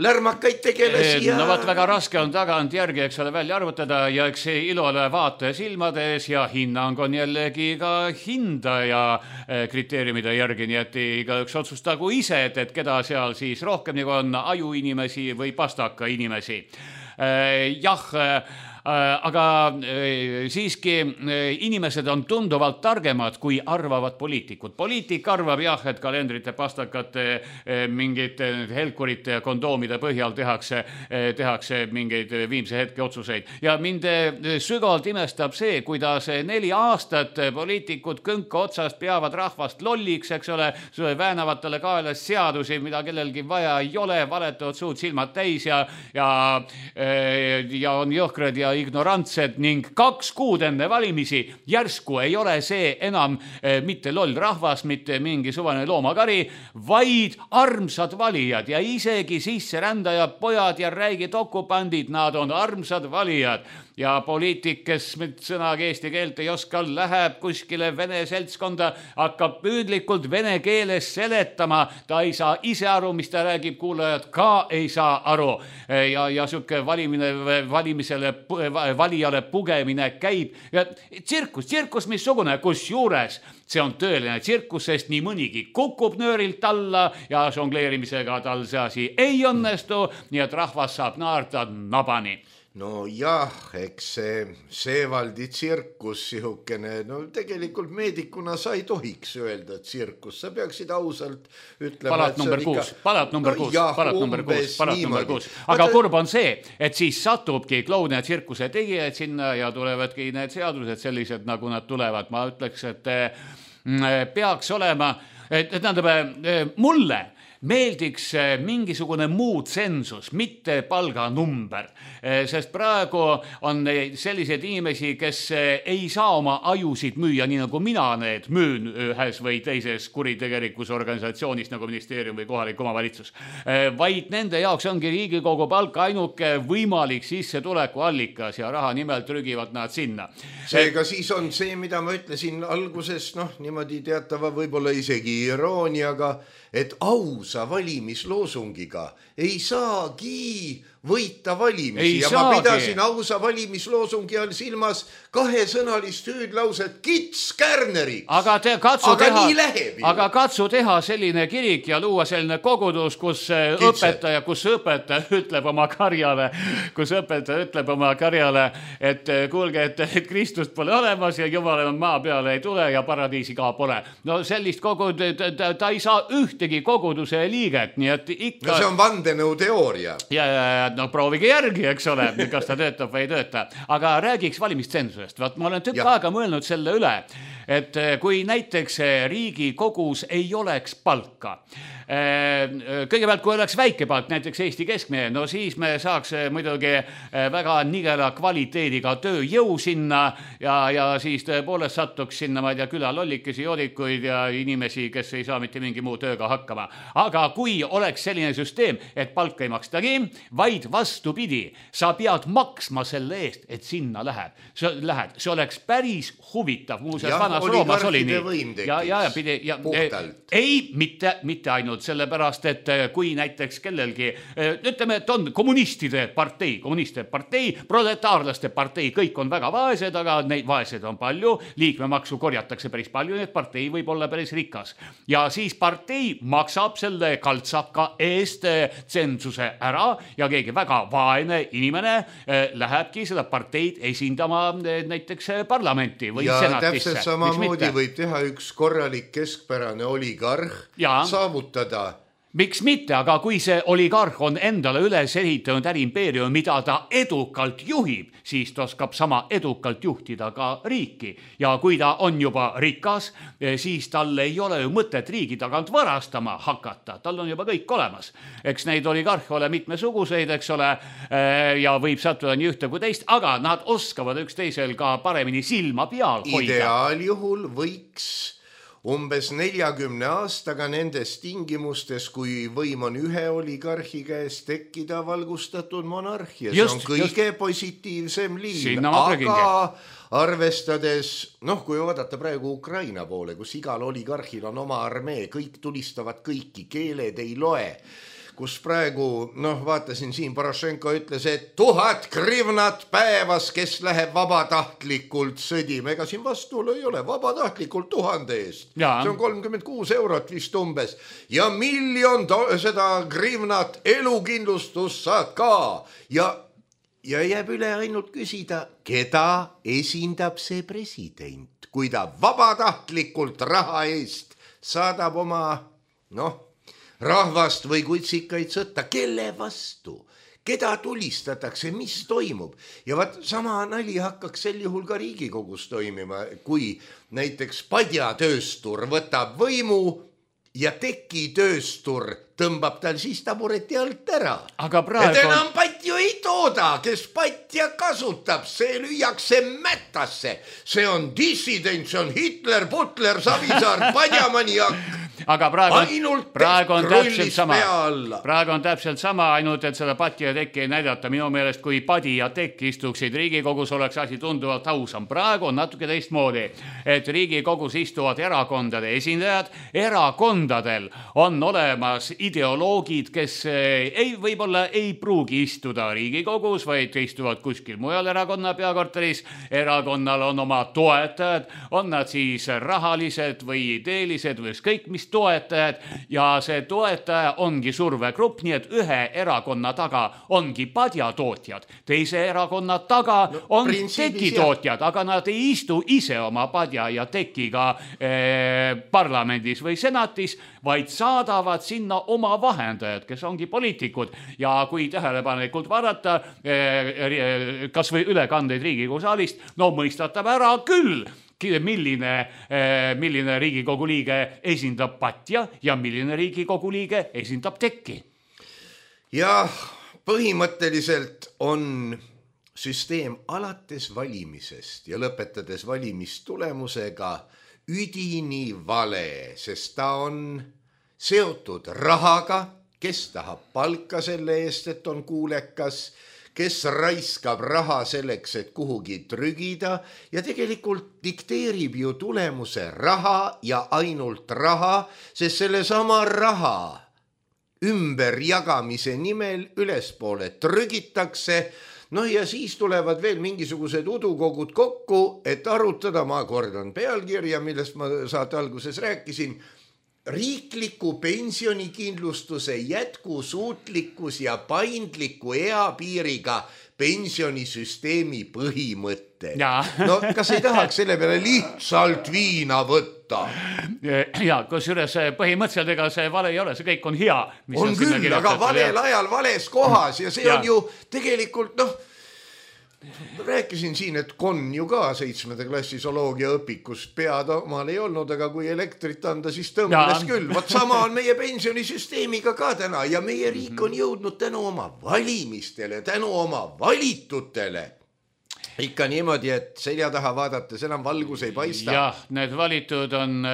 C: lärmakaid tegelasi ja...
D: Võt väga raske on tagant järgi, eks ole, välja arvutada ja eks see ilole vaate silmades ja hinnang on jällegi ka hindaja kriteeriumide järgi, nii et igaüks otsustagu ise, et keda seal siis rohkem nagu on ajuinimesi või pastaka inimesi. Jah, aga siiski inimesed on tunduvalt targemad, kui arvavad poliitikud. Poliitik arvab jah, et kalendrite, pastakate, mingite helkurite ja kondoomide põhjal tehakse mingeid viimse hetke otsuseid. Ja mind sügavalt imestab see, kuidas 4 aastat poliitikud künka otsast peavad rahvast lolliks, eks ole, väänavatele kaelas seadusi, mida kellelgi vaja ei ole, valetavad suud silmad täis ja on jõhkrad ja ignorantsed ning 2 kuud enne valimisi järsku ei ole see enam mitte loll rahvas, mitte mingi suvane loomakari, vaid armsad valijad ja isegi sisserändajad, pojad ja räigid okupandid, nad on armsad valijad. Ja poliitik, kes sõnaga eesti keelt ei oska, läheb kuskile vene seltskonda, hakkab püüdlikult vene keeles seletama, ta ei saa ise aru, mis ta räägib, kuulajad ka ei saa aru ja süke valijale pugemine käib ja tsirkus missugune, kus juures see on tõeline tsirkus, sest nii mõnigi kukub nöörilt alla ja žongleerimisega tal see asi ei õnnestu, nii et rahvas saab naarda nabani.
C: no jah, eks see Seevaldi tsirkus sihukene, no tegelikult meedikuna sa ei tohiks öelda tsirkus, sa peaksid ausalt ütlema.
D: Palat number 6, palat number 6. Aga kurb on see, et siis satubki klouni ja tsirkuse tegijaid sinna ja tulevadki need seadused sellised, nagu nad tulevad. Ma ütleks, et peaks olema, et tähendab, mulle meeldiks mingisugune muu tsensus, mitte palganumber, sest praegu on selliseid inimesi, kes ei saa oma ajusid müüa, nii nagu mina need müün ühes või teises kuritegelikus organisatsioonis nagu ministeerium või kohalik omavalitsus, vaid nende jaoks ongi Riigikogu palk ainuke võimalik sissetuleku allikas ja raha nimel trügivad nad sinna.
C: Seega siis on see, mida ma ütlesin alguses, noh, niimoodi teatava võib-olla isegi irooniaga, et ausa valimisloosungiga ei saagi võita valimisi. Ja ma pidasin ausa valimisloosungi all silmas kahesõnalist hüüdlauset Kits Kärneriks.
D: Aga katsu teha selline kirik ja luua selline kogudus, kus õpetaja ütleb oma karjale, et kuulge, et Kristust pole olemas ja Jumal maa peale ei tule ja paradiisi ka pole. No sellist ta ei saa ühtegi koguduse liiget, nii et ikka...
C: No see on vandenõu teooria.
D: Ja no proovige järgi, eks ole, kas ta töötab või ei tööta. Aga räägiks valimistsensusest. Vaat ma olen tükk aega mõelnud selle üle, et kui näiteks Riigikogus ei oleks palka, kõigepealt kui oleks väike palk, näiteks Eesti keskmine, no siis me saaks muidugi väga nigela kvaliteediga tööjõu sinna ja siis tõepoolest satuks sinna, ma ei tea, külalollikesi, joodikuid ja inimesi, kes ei saa mitte mingi muu tööga hakkama. Aga kui oleks selline süsteem, et palka ei makstagi, vaid vastupidi, sa pead maksma selle eest, et sinna lähed. See oleks päris huvitav. Muuseas, vanas Roomas oli nii. Ei, mitte ainult sellepärast, et kui näiteks kellelgi, ütleme, et on kommunistide partei, proletaarlaste partei, kõik on väga vaesed, aga neid vaesed on palju, liikmemaksu korjatakse päris palju, nii et partei võib olla päris rikas. Ja siis partei maksab selle kaltsaka eest tsensuse ära ja keegi väga vaene inimene lähebki seda parteid esindama näiteks parlamenti või senatisse.
C: Ja täpselt samamoodi võib teha üks korralik keskpärane oligarh, saavutada.
D: Miks mitte, aga kui see oligarh on endale üles ehitanud äriimpeerium, mida ta edukalt juhib, siis ta oskab sama edukalt juhtida ka riiki. Ja kui ta on juba rikas, siis tal ei ole ju mõtet riigi tagant varastama hakata. Tal on juba kõik olemas. Eks neid oligarhe ole mitmesuguseid, eks ole, ja võib sattuda nii ühte kui teist, aga nad oskavad üksteisel ka paremini silma peal hoida.
C: Ideaaljuhul võiks umbes 40 aastaga nendes tingimustes, kui võim on ühe oligarhi käes, tekkida valgustatud monarhia. See on kõige positiivsem liin. Aga arvestades, kui vaadata praegu Ukraina poole, kus igal oligarhil on oma armee, kõik tulistavad kõiki, keeled ei loe, kus praegu, vaatasin siin, Porošenko ütles, et 1000 grivnat päevas, kes läheb vabatahtlikult sõdima. Ega siin vastuolu ei ole, vabatahtlikult 1000 eest. See on 36 eurot vist umbes. Ja 1 000 000 seda grivnat elukindlustus saad ka. Ja jääb üle ainult küsida, keda esindab see president, kui ta vabatahtlikult raha eest saadab oma, rahvast või kutsikaid sõtta, kelle vastu, keda tulistatakse, mis toimub. Ja sama nali hakkaks sel juhul ka Riigikogus toimima, kui näiteks padjatööstur võtab võimu ja tekitööstur tõmbab tal siis tabureti alt ära. Et enam patju ei tooda, kes patja kasutab, see lüüakse mätasse. See on dissident, see on Hitler, Butler, Savisaar, padjamaniak.
D: Aga praegu on täpselt sama, ainult et seda pati ja tekki ei näidata. Minu meelest, kui padi ja tekk istuksid Riigikogus, oleks asi tunduvalt ausam. Praegu on natuke teistmoodi, et Riigikogus istuvad erakondade esindajad. Erakondadel on olemas ideoloogid, kes võib-olla ei pruugi istuda Riigikogus, vaid istuvad kuskil mujal erakonna peakorteris. Erakonnal on oma toetajad, on nad siis rahalised või ideelised või ükskõik mis toetajad ja see toetaja ongi survegrupp, nii et ühe erakonna taga ongi padjatootjad, teise erakonna taga on tekitootjad, aga nad ei istu ise oma padja ja tekiga parlamendis või senatis, vaid saadavad sinna oma vahendajad, kes ongi poliitikud ja kui tähelepanelikult vaadata kas või ülekandeid Riigikogu saalist, no mõistatab ära küll, milline Riigikogu liige esindab patja ja milline Riigikogu liige esindab tekki.
C: Ja põhimõtteliselt on süsteem alates valimisest ja lõpetades valimistulemusega üdini vale, sest ta on seotud rahaga, kes tahab palka selle eest, et on kuulekas, kes raiskab raha selleks, et kuhugi trügida ja tegelikult dikteerib ju tulemuse raha ja ainult raha, sest selle sama raha ümberjagamise nimel ülespoole trügitakse. No ja siis tulevad veel mingisugused udukogud kokku, et arutada, ma kordan pealkirja, millest ma saate alguses rääkisin, riikliku pensionikindlustuse jätkusuutlikkus ja paindliku eapiiriga pensionisüsteemi põhimõte. No kas ei tahaks selle peale lihtsalt viina võtta?
D: Ja kusjuures põhimõtteliselt ega see vale ei ole, see kõik on hea.
C: On küll, aga valel ajal vales kohas ja see on ju tegelikult, rääkisin siin, et Kon ju ka 7. klassi zooloogia õpikus pead omal ei olnud, aga kui elektrit anda, siis tõmbles küll. Vot sama on meie pensionisüsteemiga ka täna ja meie riik on jõudnud tänu oma valimistele, tänu oma valitutele. Ikka niimoodi, et selja taha vaadates enam valgus ei paista.
D: Jah, need valitud on...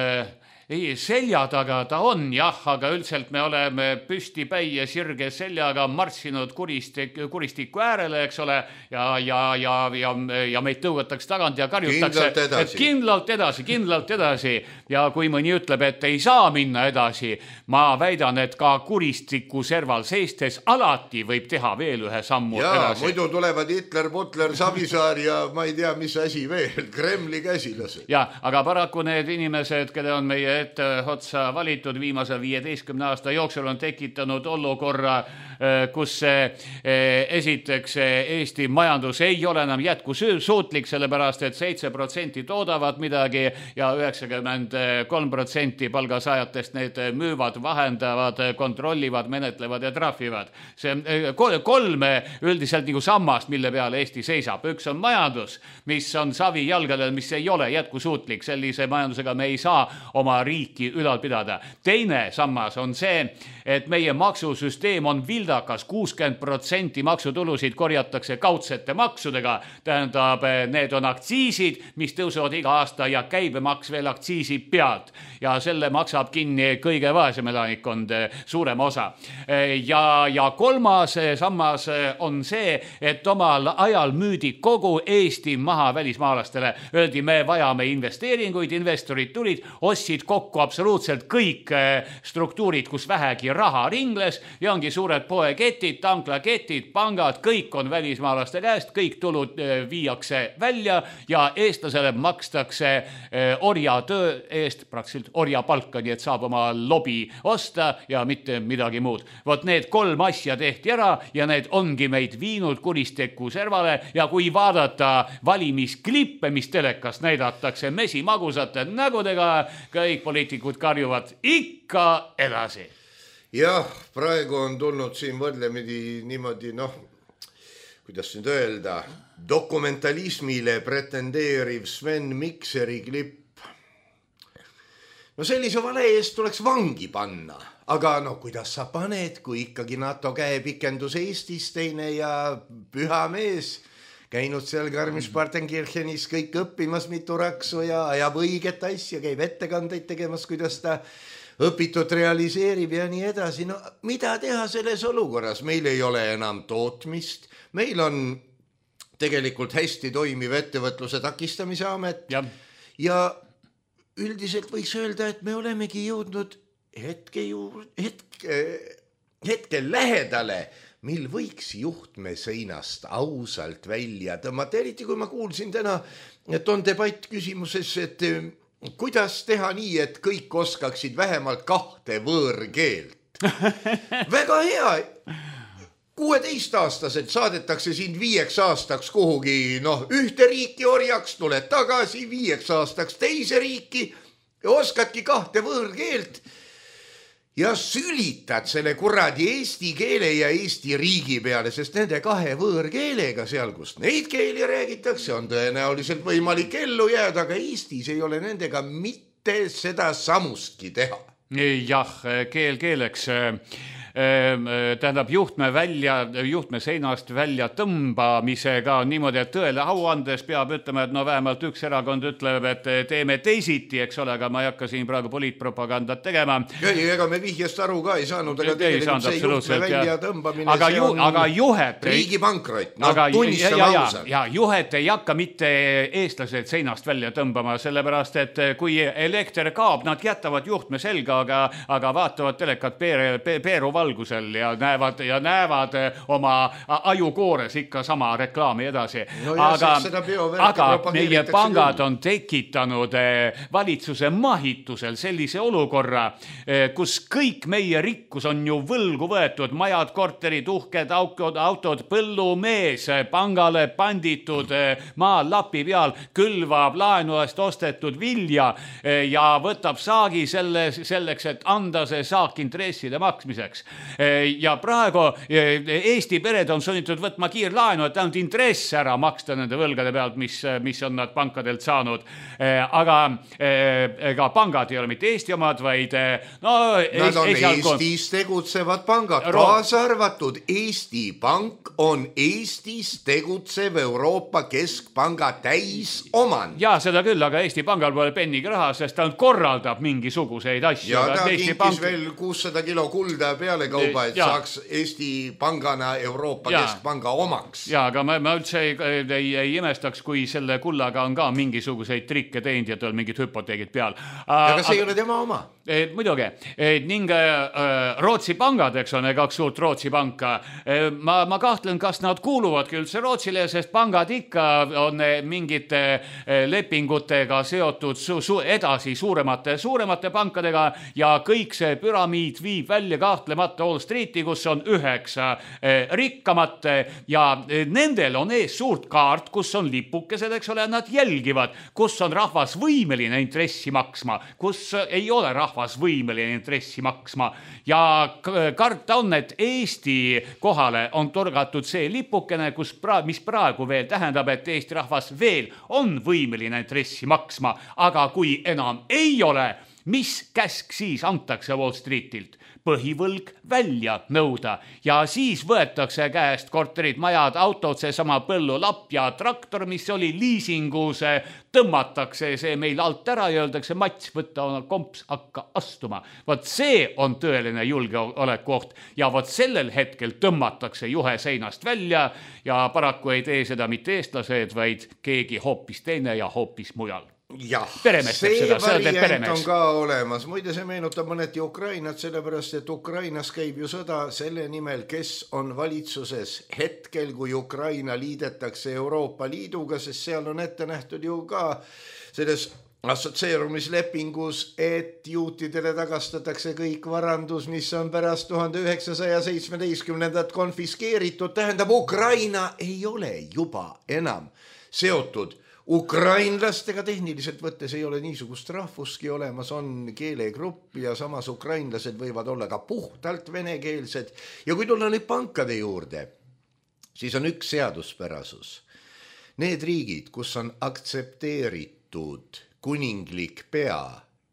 D: Ei, selja taga ta on, jah, aga üldiselt me oleme püstipäi ja sirge seljaga marssinud kuristiku äärele, eks ole, ja meid tõugatakse tagant ja karjutakse, kindlalt edasi. Ja kui mõni ütleb, et ei saa minna edasi, ma väidan, et ka kuristiku serval seistes alati võib teha veel ühe sammu edasi.
C: Muidu tulevad Hitler, Butler, Savisaar ja ma ei tea, mis asi veel, Kremli käsilased.
D: Ja, aga paraku need inimesed, kelle on meie ette otsa valitud viimase 15 aasta jooksul on tekitanud olukorra, kus esiteks Eesti majandus ei ole enam jätkusuutlik, sellepärast et 7% toodavad midagi ja 93% palgasaajatest need müüvad, vahendavad, kontrollivad, menetlevad ja trahvivad. See kolme üldiselt nagu sammast, mille peale Eesti seisab. Üks on majandus, mis on savi jalgadel, mis ei ole jätkusuutlik. Sellise majandusega me ei saa oma riiki ülal pidada. Teine sammas on see, et meie maksusüsteem on vildakas, 60% maksutulusid korjatakse kaudsete maksudega, tähendab, need on aktsiisid, mis tõusevad iga aasta ja käibemaks veel aktsiisi pealt ja selle maksab kinni kõige vaesem elanikkond, suurem osa. Ja kolmas sammas on see, et omal ajal müüdi kogu Eesti maha välismaalastele. Öeldi, me vajame investeeringuid, investorid tulid, ostsid kokku absoluutselt kõik struktuurid, kus vähegi raha ringles ja ongi suured poeketid, tanklaketid, pangad, kõik on välismaalaste käest, kõik tulud viiakse välja ja eestlasele makstakse orjatöö eest praktiliselt orjapalka, nii et saab oma lobi osta ja mitte midagi muud. Vot need 3 asja tehti ära ja need ongi meid viinud kuristiku servale ja kui vaadata valimisklippe, mis telekast näidatakse mesimagusate nägudega, kõik poliitikud karjuvad ikka edasi.
C: Jah, praegu on tulnud siin võrdlemidi niimoodi, kuidas nüüd öelda, dokumentalismile pretendeeriv Sven Mikseri klipp. Sellise vale eest tuleks vangi panna, aga kuidas sa paned, kui ikkagi NATO käepikendus Eestis teine ja püha mees, käinud seal Garmisch-Partenkirchenis kõik õppimas mitu raksu ja ajab õiget asja, käib ettekandeid tegemas, kuidas ta õpitud realiseerib ja nii edasi. Mida teha selles olukorras? Meil ei ole enam tootmist, meil on tegelikult hästi toimiv ettevõtluse takistamise amet ja üldiselt võiks öelda, et me olemegi jõudnud hetkel lähedale, mil võiks juhtme seinast ausalt välja tõmmata. Eriti kui ma kuulsin täna, et on debatt küsimuses, et kuidas teha nii, et kõik oskaksid vähemalt 2 võõrkeelt? Väga hea. 16-aastaselt saadetakse sind 5 aastaks kuhugi, ühte riiki orjaks, tuled tagasi 5 aastaks teise riiki ja oskadki 2 võõrkeelt ja sülitad selle kuradi eesti keele ja Eesti riigi peale, sest nende 2 võõrkeelega seal, kus neid keeli räägitakse, on tõenäoliselt võimalik ellu jääda, aga Eestis ei ole nendega mitte seda samustki teha.
D: Jah, keel keeleks. Tähendab juhtme seinast välja tõmbamisega niimoodi, et tõele au andes peab ütlema, et vähemalt üks erakond ütleb, et teeme teisiti, eks ole, aga ma ei hakka siin praegu poliitpropagandat tegema.
C: Ega me vihjest aru ka ei saanud, aga tegelikult see juhtme välja tõmbamine,
D: aga juhet
C: riigi pankrot, tunnistame ausalt.
D: Ja juhet ei hakka mitte eestlased seinast välja tõmbama, sellepärast, et kui elekter kaob, nad jätavad juhtme selga, aga vaatavad telekat Peeru valgusel ja näevad oma ajukoores ikka sama reklaami edasi. Aga meie pangad on tekitanud valitsuse mahitusel sellise olukorra, kus kõik meie rikkus on ju võlgu võetud, majad, korterid, uhked autod, põllumees, pangale panditud maal lapi peal, külvab laenu eest ostetud vilja ja võtab saagi selleks, et anda see saak intresside maksmiseks. Ja praegu Eesti pered on sunnitud võtma kiirlaenu, et ainult intress ära maksta nende võlgade pealt, mis on nad pankadelt saanud. Aga ega pangad ei ole mitte Eesti omad, vaid
C: nad on Eestis tegutsevad pangad, kaasa arvatud Eesti Pank on Eestis tegutsev Euroopa Keskpanga täisomand.
D: Ja seda küll, aga Eesti Pangal pole pennigi raha, sest ta korraldab mingisuguseid asju.
C: Ja ta kinkis veel 600 kilo kulda peale kauba, et saaks Eesti Pangana Euroopa Keskpanga omaks.
D: Ja, aga ma üldse ei imestaks, kui selle kullaga on ka mingisuguseid trikke teinud ja tal mingid hüpoteegid peal.
C: Aga see ei ole tema oma.
D: Muidugi. Ning Rootsi pangad, eks on 2 suurt Rootsi panka. Ma kahtlen, kas nad kuuluvadki üldse Rootsile, sest pangad ikka on mingite lepingutega seotud edasi suuremate pankadega ja kõik see püramiid viib välja kahtlemata Wall Streeti, kus on 9 rikkamat ja nendel on ees suurt kaart, kus on lipukesed, eks ole, nad jälgivad, kus on rahvas võimeline intressi maksma, kus ei ole rahvas võimeline intressi maksma ja karta on, et Eesti kohale on torgatud see lipukene, mis praegu veel tähendab, et Eesti rahvas veel on võimeline intressi maksma, aga kui enam ei ole, mis käsk siis antakse Wall Streetilt? Põhivõlg välja nõuda ja siis võetakse käest korterid, majad, autod, see sama põllulapp ja traktor, mis oli liisingus, tõmmatakse see meil alt ära ja öeldakse, Mats, võtta oma komps, hakka astuma. Vot see on tõeline julgeolekuoht ja vot sellel hetkel tõmmatakse juhe seinast välja ja paraku ei tee seda mitte eestlased, vaid keegi hoopis teine ja hoopis mujal.
C: Jah, see variant on ka olemas. Muide, see meenutab mõneti Ukrainat, sellepärast, et Ukrainas käib ju sõda selle nimel, kes on valitsuses hetkel, kui Ukraina liidetakse Euroopa Liiduga, sest seal on ette nähtud ju ka selles assotsieerumislepingus, et juutidele tagastatakse kõik varandus, mis on pärast 1917 konfiskeeritud. Tähendab, Ukraina ei ole juba enam seotud ukrainlastega, tehniliselt võttes ei ole niisugust rahvuski olemas, on keelegrupp ja samas ukrainlased võivad olla ka puhtalt venekeelsed. Ja kui tulla nüüd pankade juurde, siis on üks seaduspärasus. Need riigid, kus on aktsepteeritud kuninglik pea,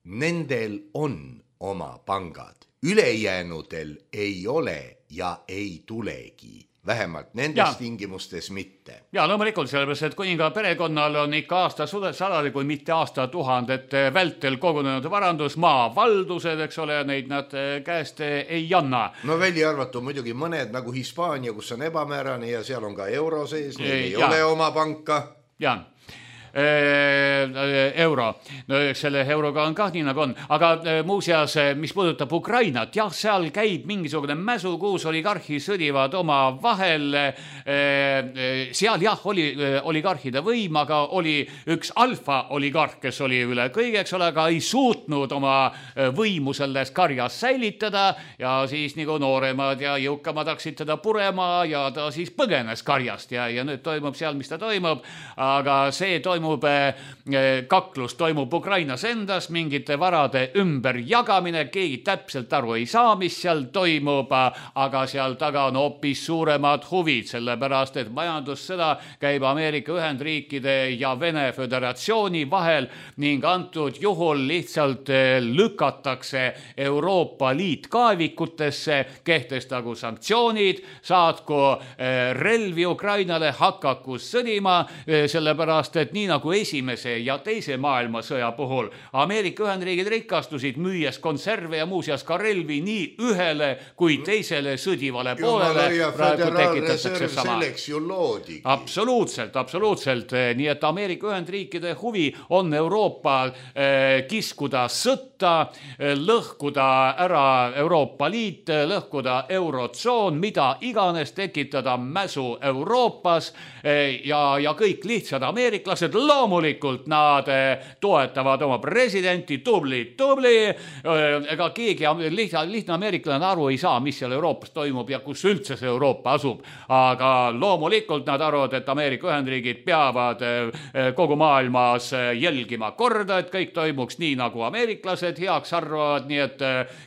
C: nendel on oma pangad. Ülejäänudel ei ole ja ei tulegi. Vähemalt nendes tingimustes mitte.
D: Ja loomulikult sellepärast, et kuninga perekonnal on ikka aastasadade, kui mitte aastatuhandete vältel kogunenud varandus, maavaldused, eks ole, neid nad käest ei anna.
C: No välja arvatu muidugi mõned nagu Hispaania, kus on ebamäärane ja seal on ka euro sees, neil ei ole oma panka.
D: Ja. euro. No, selle euroga on kah nii nagu on. Aga muuseas, mis puudutab Ukrainat, jah, seal käib mingisugune mäsu, kuus oligarhi sõdivad oma vahel. Seal jah, oli oligarhide võim, aga oli üks alfa oligarh, kes oli üle kõigeks, aga ei suutnud oma võimu selles karjas säilitada ja siis nagu nooremad ja jõukamad hakkasid teda purema ja ta siis põgenes karjast ja nüüd toimub seal, mis ta toimub, aga see toimub, kaklus toimub Ukrainas endas, mingite varade ümberjagamine, keegi täpselt aru ei saa, mis seal toimub, aga seal taga on hoopis suuremad huvid, sellepärast, et majandussõda käib Ameerika Ühendriikide ja Vene Föderatsiooni vahel ning antud juhul lihtsalt lükatakse Euroopa Liit kaevikutesse, kehtestagu sanktsioonid, saatku relvi Ukrainale, hakaku sõdima, sellepärast, et nii nagu esimese ja teise maailmasõja puhul Ameerika Ühendriigid rikastusid, müües konserve ja muuseas ka relvi nii ühele kui teisele sõdivale poolele. Praegu tekitatakse sama. Absoluutselt. Nii et Ameerika Ühendriikide huvi on Euroopa kiskuda sõtta, lõhkuda ära Euroopa Liit, lõhkuda eurotsoon, mida iganes, tekitada mäsu Euroopas ja kõik lihtsad ameeriklased, loomulikult nad toetavad oma presidenti, tubli. Ega keegi lihtne ameeriklane aru ei saa, mis seal Euroopas toimub ja kus üldse see Euroopa asub. Aga loomulikult nad arvavad, et Ameerika Ühendriigid peavad kogu maailmas jälgima korda, et kõik toimuks nii, nagu ameeriklased heaks arvavad, nii et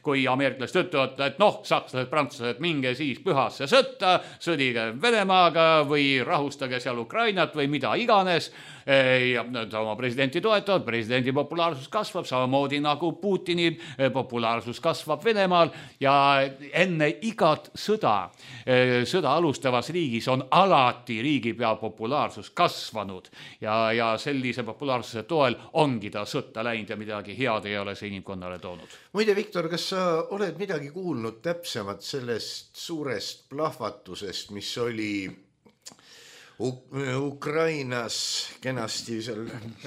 D: kui ameeriklased ütlevad, et sakslased, prantslased, minge siis pühasse sõtta, sõdige Venemaaga või rahustage seal Ukrainat või mida iganes, ja oma presidenti toetavad, presidendi populaarsus kasvab, samamoodi nagu Putini populaarsus kasvab Venemaal ja enne igat sõda alustavas riigis on alati riigipea populaarsus kasvanud ja sellise populaarsuse toel ongi ta sõtta läinud ja midagi head ei ole see inimkonnale toonud.
C: Muide, Viktor, kas sa oled midagi kuulnud täpsemalt sellest suurest plahvatusest, mis oli Ukrainas kenasti seal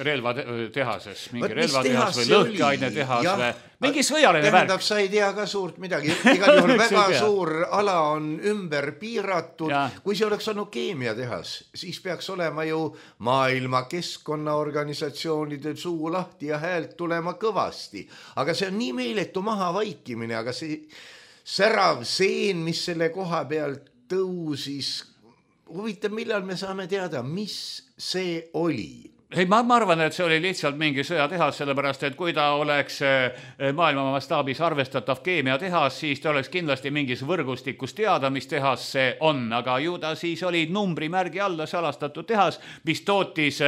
D: relvatehases, mingi relvatehas või lõhkeainetehas või mingi sõjaline värk.
C: Tähendab, sa ei tea ka suurt midagi. Igal juhul väga suur ala on ümber piiratud. Kui see oleks olnud keemiatehas, siis peaks olema ju maailma keskkonnaorganisatsioonide suu lahti ja häält tulema kõvasti. Aga see on nii meeletu maha vaikimine, aga see särav seen, mis selle koha pealt tõusis, huvitav, millal me saame teada, mis see oli?
D: Ei, ma arvan, et see oli lihtsalt mingi sõjatehas, sellepärast, et kui ta oleks maailma mastaabis arvestatav keemiatehas, siis ta oleks kindlasti mingis võrgustikus teada, mis tehas see on. Aga ju ta siis oli numbrimärgi alla salastatud tehas, mis tootis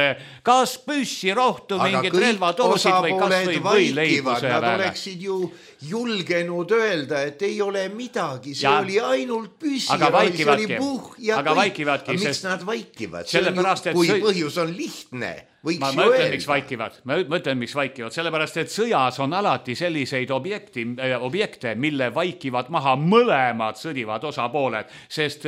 D: kas püssi, rohtu, mingid relvatoosid või kas või võileibuse.
C: Nad oleksid ju julgenud öelda, et ei ole midagi, see oli ainult püssi, see oli puh ja kõik. Miks nad vaikivad? Kui põhjus on lihtne.
D: Ma mõtlen, miks vaikivad. Sellepärast, et sõjas on alati selliseid objekte, mille vaikivad maha mõlemad sõdivad osapooled, sest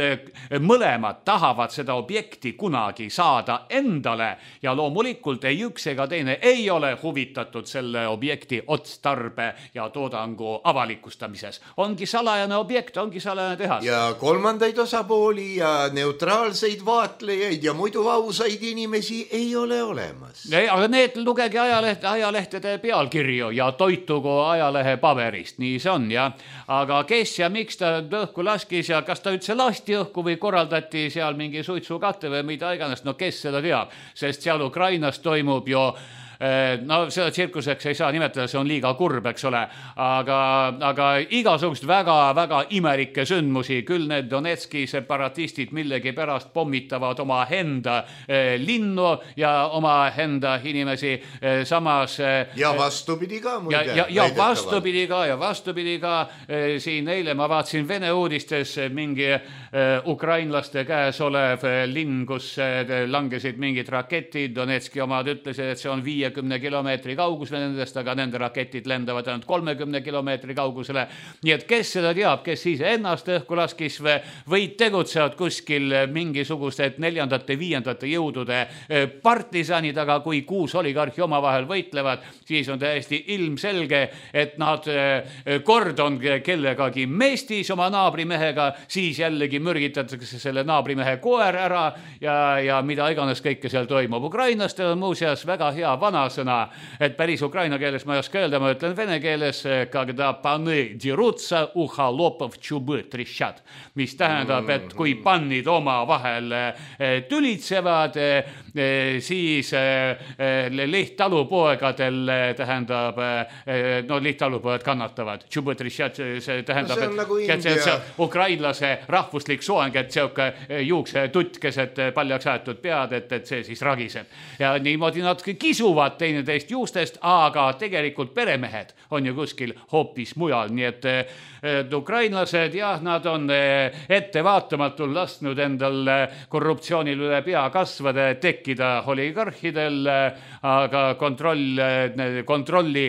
D: mõlemad tahavad seda objekti kunagi saada endale ja loomulikult ei üks ega teine ei ole huvitatud selle objekti otstarbe ja toodangu avalikustamises. Ongi salajane objekt, ongi salajane tehas.
C: Ja kolmandaid osapooli ja neutraalseid vaatlejaid ja muidu ausaid inimesi ei ole
D: aga need lugegi ajalehtede pealkirju ja toitugu ajalehe paberist, nii see on ja. Aga kes ja miks ta õhku laskis ja kas ta üldse lasti õhku või korraldati seal mingi suitsukatte või mida iganes, no kes seda teab, sest seal Ukrainas toimub ju seda tsirkuseks ei saa nimetada, see on liiga kurb, eks ole, aga igasugust väga imelikke sündmusi, küll need Donetski separatistid millegi pärast pommitavad oma enda linnu ja oma enda inimesi, samas
C: ja vastupidi ka muide.
D: Ja vastupidi ka siin eile ma vaatasin Vene uudistes mingi ukrainlaste käes olev linn, kus langesid mingid raketid, Donetski omad ütlesid, et see on 5 50 kilomeetri kaugusele nendest, aga nende raketid lendavad ainult 30 kilomeetri kaugusele. Nii et kes seda teab, kes siis ennast õhku laskis või tegutsevad kuskil mingisugused 4. 5. jõudude partisanid, aga kui 6 oligarhi omavahel võitlevad, siis on täiesti ilmselge, et nad kord on kellegagi mestis oma naabrimehega, siis jällegi mürgitatakse selle naabrimehe koer ära ja mida iganes kõike seal toimub. Ukrainlastel on muuseas väga hea vanasõna, et päris ukraina keeles ma ei oska öelda, ma ütlen vene keeles, когда паны дерутся, у холопов чубы трещат, mis tähendab, et kui pannid omavahel tülitsevad, siis lihttalupoegadel tähendab, no lihttalupoed kannatavad. Čubы трещат, see tähendab, et see ukrainlase rahvuslik soeng, et seoke juukse tutt keset paljaks aetud pead, et see siis ragiseb. Ja niimoodi nad kisuvad teineteist juustest, aga tegelikult peremehed on ju kuskil hoopis mujal, nii et ukrainlased, jah, nad on ettevaatamatul lasknud endal korruptsioonil üle pea kasvada, tekkida oligarhidel, aga kontrolli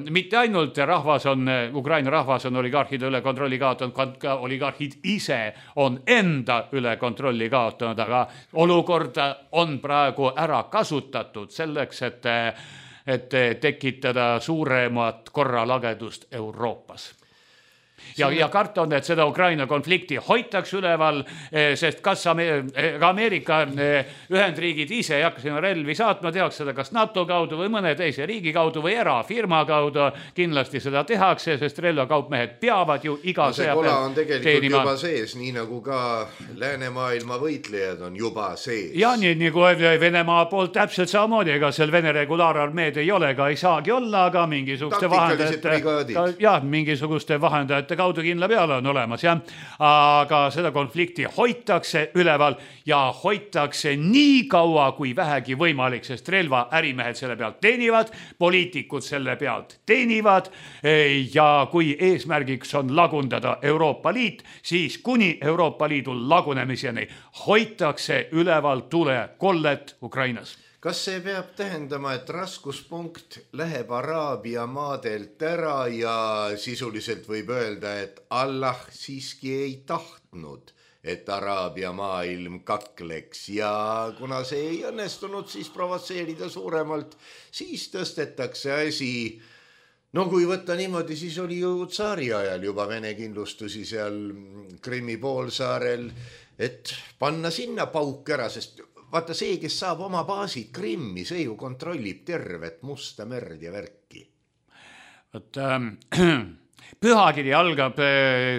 D: mitte ainult rahvas on, Ukraina rahvas on oligarhide üle kontrolli kaotanud, ka oligarhid ise on enda üle kontrolli kaotanud, aga olukorda on praegu ära kasutatud selleks, et tekitada suuremat korralagedust Euroopas. Ja karta on, et seda Ukraina konflikti hoitaks üleval, sest kas Ameerika Ühendriigid ise ei hakka sinna relvi saatma, tehaks seda kas NATO kaudu või mõne teise riigi kaudu või erafirma kaudu, kindlasti seda tehakse, sest relvakaupmehed peavad ju iga sõja
C: peal on tegelikult juba sees, nii nagu ka läänemaailma võitlejad on juba sees.
D: Ja nii kui Venemaa poolt täpselt samamoodi, ega seal Vene regulaararmeed ei ole, ega ei saagi olla, aga mingisuguste vahendajate kaudu kindla peale on olemas, jah. Aga seda konflikti hoitakse üleval ja hoitakse nii kaua kui vähegi võimalik, sest relva ärimehed selle pealt teenivad, poliitikud selle pealt teenivad ja kui eesmärgiks on lagundada Euroopa Liit, siis kuni Euroopa Liidu lagunemiseni hoitakse üleval tulekollet Ukrainas.
C: Kas see peab tähendama, et raskuspunkt läheb Araabia maadelt ära ja sisuliselt võib öelda, et Allah siiski ei tahtnud, et Araabia maailm kakleks ja kuna see ei õnnestunud, siis provotseerida suuremalt, siis tõstetakse asi. No kui võtta niimoodi, siis oli ju tsaari ajal juba Vene kindlustusi seal Krimmi poolsaarel, et panna sinna pauk ära, sest vaata see, kes saab oma baasid Krimmi, see ju kontrollib tervet Musta merd ja värki.
D: Pühakiri algab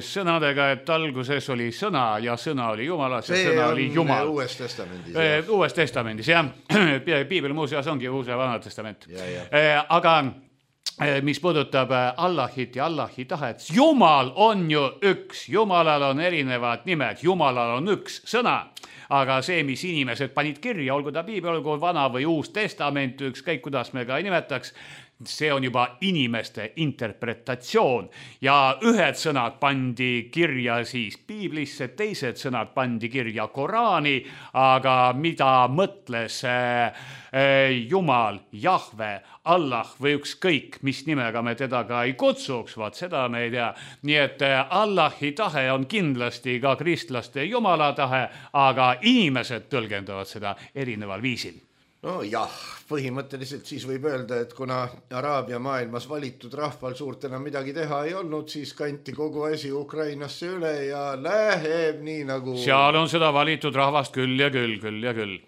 D: sõnadega, et alguses oli sõna ja sõna oli Jumalas ja sõna oli Jumal.
C: Uues testamendis.
D: Uues testamendis, jah. Piibel muuseas ongi uus ja vana testament. Aga mis puudutab Allahit ja Allahi tahet, Jumal on ju üks, Jumalal on erinevad nimed, Jumalal on üks sõna. Aga see, mis inimesed panid kirja, olgu ta piibel, olgu vana või uus testament, ükskõik kuidas me ka ei nimetaks, see on juba inimeste interpretatsioon ja ühed sõnad pandi kirja siis piiblisse, teised sõnad pandi kirja Koraani, aga mida mõtles Jumal, Jahve, Allah või ükskõik, mis nimega me teda ka ei kutsuks, vaat seda me ei tea. Nii et Allahi tahe on kindlasti ka kristlaste Jumala tahe, aga inimesed tõlgendavad seda erineval viisil.
C: No jah, põhimõtteliselt siis võib öelda, et kuna Araabia maailmas valitud rahval suurt enam midagi teha ei olnud, siis kanti kogu asi Ukrainasse üle ja läheb nii nagu...
D: Seal on seda valitud rahvast küll ja küll.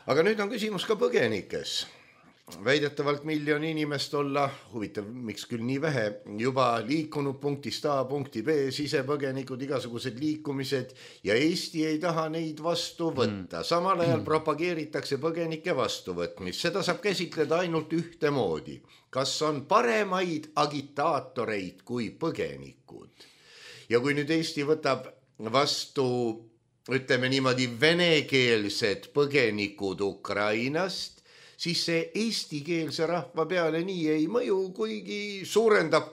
C: Aga nüüd on küsimus ka põgenikes. Väidetavalt 1 miljon inimest olla, huvitav, miks küll nii vähe, juba liikunud punktist A punkti B, sisepõgenikud, igasugused liikumised ja Eesti ei taha neid vastu võtta. Samal ajal propageeritakse põgenike vastuvõtmist. Seda saab käsitleda ainult ühtemoodi. Kas on paremaid agitaatoreid kui põgenikud? Ja kui nüüd Eesti võtab vastu, ütleme niimoodi, venekeelsed põgenikud Ukrainast, siis see eestikeelse rahva peale nii ei mõju, kuigi suurendab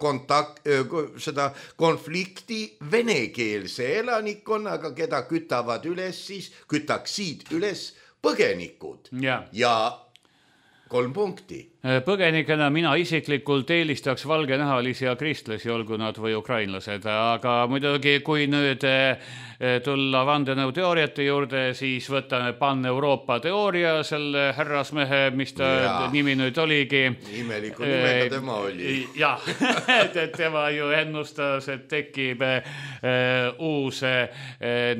C: seda konflikti venekeelse elanikkonnaga, keda kütaksid üles põgenikud. Ja 3 punkti.
D: Põgenikena mina isiklikult eelistaks valgenahalisi ja kristlasi, olgu nad või ukrainlased, aga muidugi kui nüüd tulla vandenõuteooriate juurde, siis võtame Pan-Euroopa teooria, selle härrasmehe, mis ta nimi nüüd oligi.
C: Imeliku nimega tema oli.
D: Jah, et tema ju ennustas, et tekib uus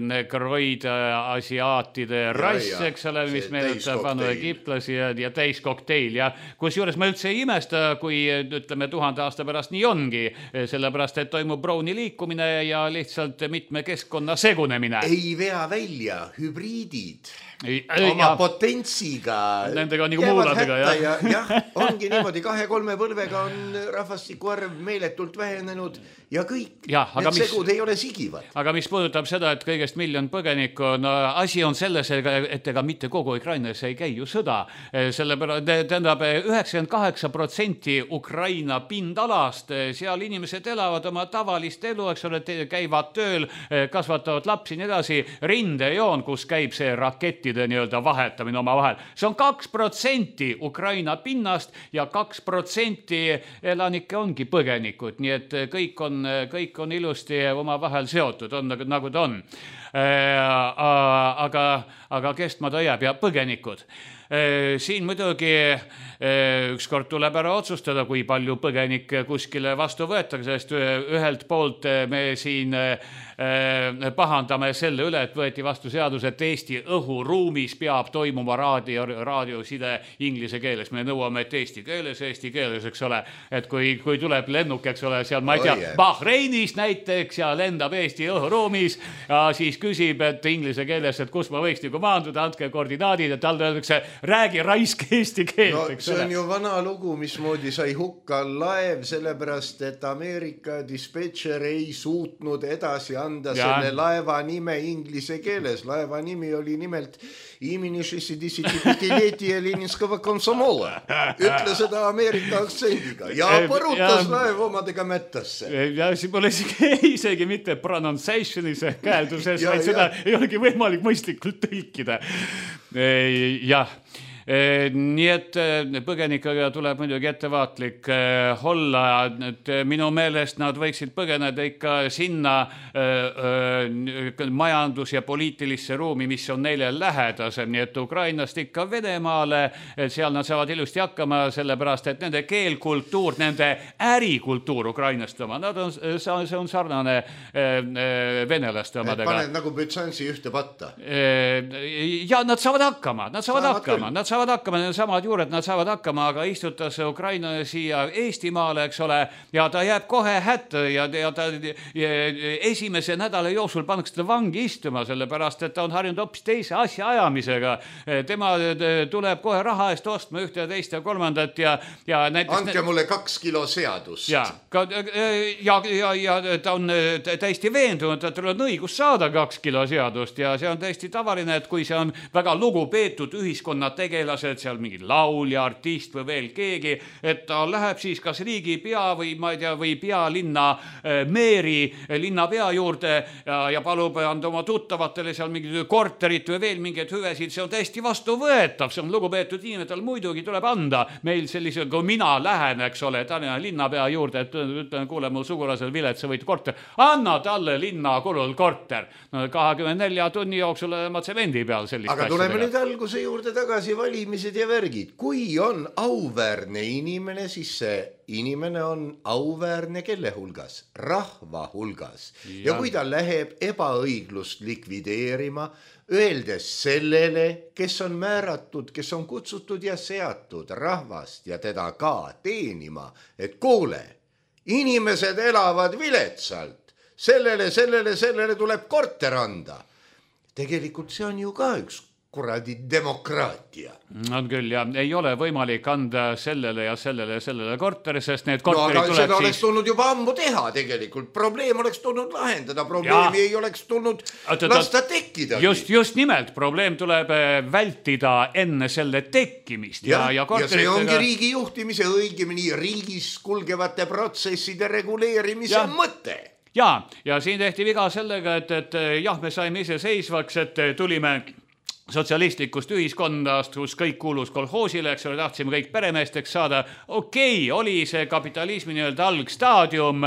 D: negroid asiaatide rass, eks ole, mis meenutab vanu egiptlasi ja täiskokteil ja kusjuures ma üldse ei imesta, kui ütleme 1000 aasta pärast nii ongi, sellepärast, et toimub Browni liikumine ja lihtsalt mitme keskkonna segunemine.
C: Ei vea välja hübriidid. Oma potentsiga
D: nendega on nagu muuladega
C: jah, ongi niimoodi 2-3 põlvega on rahvastiku arv meeletult vähenenud ja kõik need segud ei ole sigivad.
D: Aga mis puudutab seda, et kõigest 1 miljon põgenikku, no asi on selles, et ega mitte kogu Ukrainas ei käi ju sõda, sellepärast tähendab 98% Ukraina pindalast, seal inimesed elavad oma tavalist elu, eks ole, käivad tööl, kasvatavad lapsi nii edasi, rindejoon, kus käib see raketti nii-öelda vahetamine oma vahel. See on 2% Ukraina pinnast ja 2% elanikke ongi põgenikud, nii et kõik on ilusti oma vahel seotud, on nagu ta on. Aga kestma ta jääb ja põgenikud. Siin muidugi ükskord tuleb ära otsustada, kui palju põgenikke kuskile vastu võetakse, sest ühelt poolt me siin pahandame selle üle, et võeti vastu seadus, et Eesti õhuruumis peab toimuma raadioside inglise keeles. Me nõuame, et eesti keeles, eks ole, et kui tuleb lennuk, eks ole, seal ma ei tea, Bahreinist näiteks ja lendab Eesti õhuruumis ja siis küsib, et inglise keeles, et kus ma võiks maanduda, andke koordinaadid ja talle öeldakse, räägi raisk eesti keelt.
C: No see on ju vana lugu, mismoodi sai hukka laev, sellepärast, et Ameerika dispetšer ei suutnud edasi anda selle laeva nime inglise keeles. Laeva nimi oli nimelt imeni 65-leti Leninskava komsomola. Ütle seda Ameerika aktsendiga ja põrutas laev omadega mättasse.
D: Ja siis pole isegi mitte pronunciationis käelduses, vaid seda ei olegi võimalik mõistlikult tõlkida. Jah. Nii et põgenikega tuleb muidugi ettevaatlik olla, et minu meelest nad võiksid põgeneda ikka sinna majandus- ja poliitilisse ruumi, mis on neile lähedasem, nii et Ukrainast ikka Venemaale, seal nad saavad ilusti hakkama, sellepärast, et nende keelkultuur, nende ärikultuur Ukrainast oma, see on sarnane venelaste omadega.
C: Paned nagu Bütsansi ühte patta.
D: Ja nad saavad hakkama, nad saavad hakkama, need samad juured, nad saavad hakkama, aga istutas Ukraina siia Eestimaale, eks ole, ja ta jääb kohe hätta ja ta esimese nädala jooksul pannakse ta vangi istuma, sellepärast, et ta on harjunud hoopis teise asja ajamisega. Tema tuleb kohe raha eest ostma ühte ja teist ja kolmandat ja näiteks...
C: Andke mulle 2 kilo seadust.
D: Ja ta on täiesti veendunud, et tal on õigus saada 2 kilo seadust ja see on täiesti tavaline, et kui see on väga lugupeetud ühiskonna tegelased, seal mingi laulja, artist või veel keegi, et ta läheb siis kas riigipea või ma ei tea, või pealinna meeri linnapea juurde ja palub anda oma tuttavatele seal mingid korterit või veel mingeid hüvesid, see on täiesti vastuvõetav, see on lugupeetud inimene, tal muidugi tuleb anda meil sellise, kui mina lähen, eks ole, Tallinna linnapea juurde, et ütlen, kuule, mu sugulasel Vilet, sa võid korter, anna talle linna kulul korter. No 24 tunni jooksul ma tsemendi peal sellist
C: aga tuleme nüüd alguse juurde tagasi, valimised ja värgid. Kui on auväärne inimene, siis see inimene on auväärne kelle hulgas? Rahva hulgas. Ja kui ta läheb ebaõiglust likvideerima, öeldes sellele, kes on määratud, kes on kutsutud ja seatud rahvast ja teda ka teenima, et kuule, inimesed elavad viletsalt, sellele tuleb korter anda. Tegelikult see on ju ka üks kuradi demokraatia.
D: On küll, ja ei ole võimalik anda sellele ja sellele korteri, sest need korterid
C: tuleb seda oleks tulnud juba ammu teha tegelikult. Probleem oleks tulnud lahendada, probleemi ei oleks tulnud lasta tekkida.
D: Just nimelt, probleem tuleb vältida enne selle tekkimist.
C: Ja see ongi riigi juhtimise, õigemini riigis kulgevate protsesside reguleerimise mõte.
D: Ja siin tehti viga sellega, et jah, me saime ise seisvaks, et tulime sotsialistlikust ühiskonnast, kus kõik kuulus kolhoosile, eks ole, tahtsime kõik peremeesteks saada. Okei, oli see kapitalismi nii-öelda algstaadium,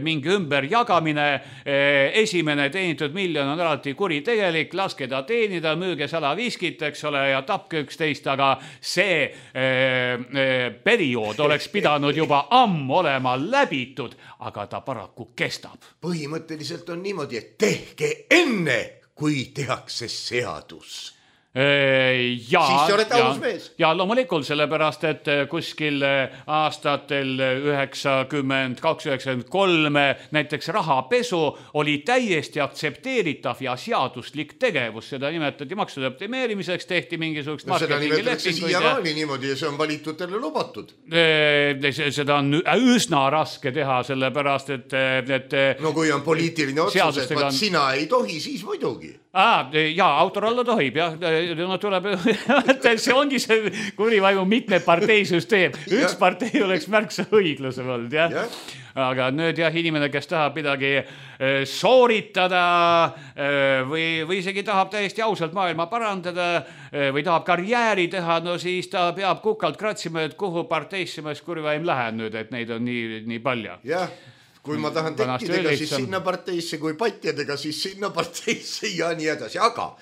D: mingi ümberjagamine, esimene teenitud miljon on alati kuritegelik, laske ta teenida, müüge salaviskit, eks ole, ja tapke 11, aga see periood oleks pidanud juba ammu olema läbitud, aga ta paraku kestab.
C: Põhimõtteliselt on niimoodi, et tehke enne, kui tehakse seadus. Siis sa oled aus mees.
D: Ja loomulikult sellepärast, et kuskil aastatel 92-93 näiteks rahapesu oli täiesti aktsepteeritav ja seaduslik tegevus. Seda nimetati maksude optimeerimiseks, tehti mingisugust
C: seda nimetatakse siiamaani niimoodi ja see on valitutele lubatud.
D: Seda on üsna raske teha, sellepärast, et
C: no kui on poliitiline otsus, et sina ei tohi, siis muidugi.
D: Jaa, autor alla tohib, jah. No tuleb, see ongi see kurivaimu mitme parteisüsteem. Üks partei oleks märksa õiglasem olnud, jah. Aga nüüd jah, inimene, kes tahab midagi sooritada või isegi tahab täiesti ausalt maailma parandada või tahab karjääri teha, no siis ta peab kukalt kratsima, et kuhu parteisse ma kurivaim lähen nüüd, et neid on nii palju.
C: Jah. Kui ma tahan tekkidega, siis sinna parteisse, kui patjadega, siis sinna parteisse ja nii edasi. Aga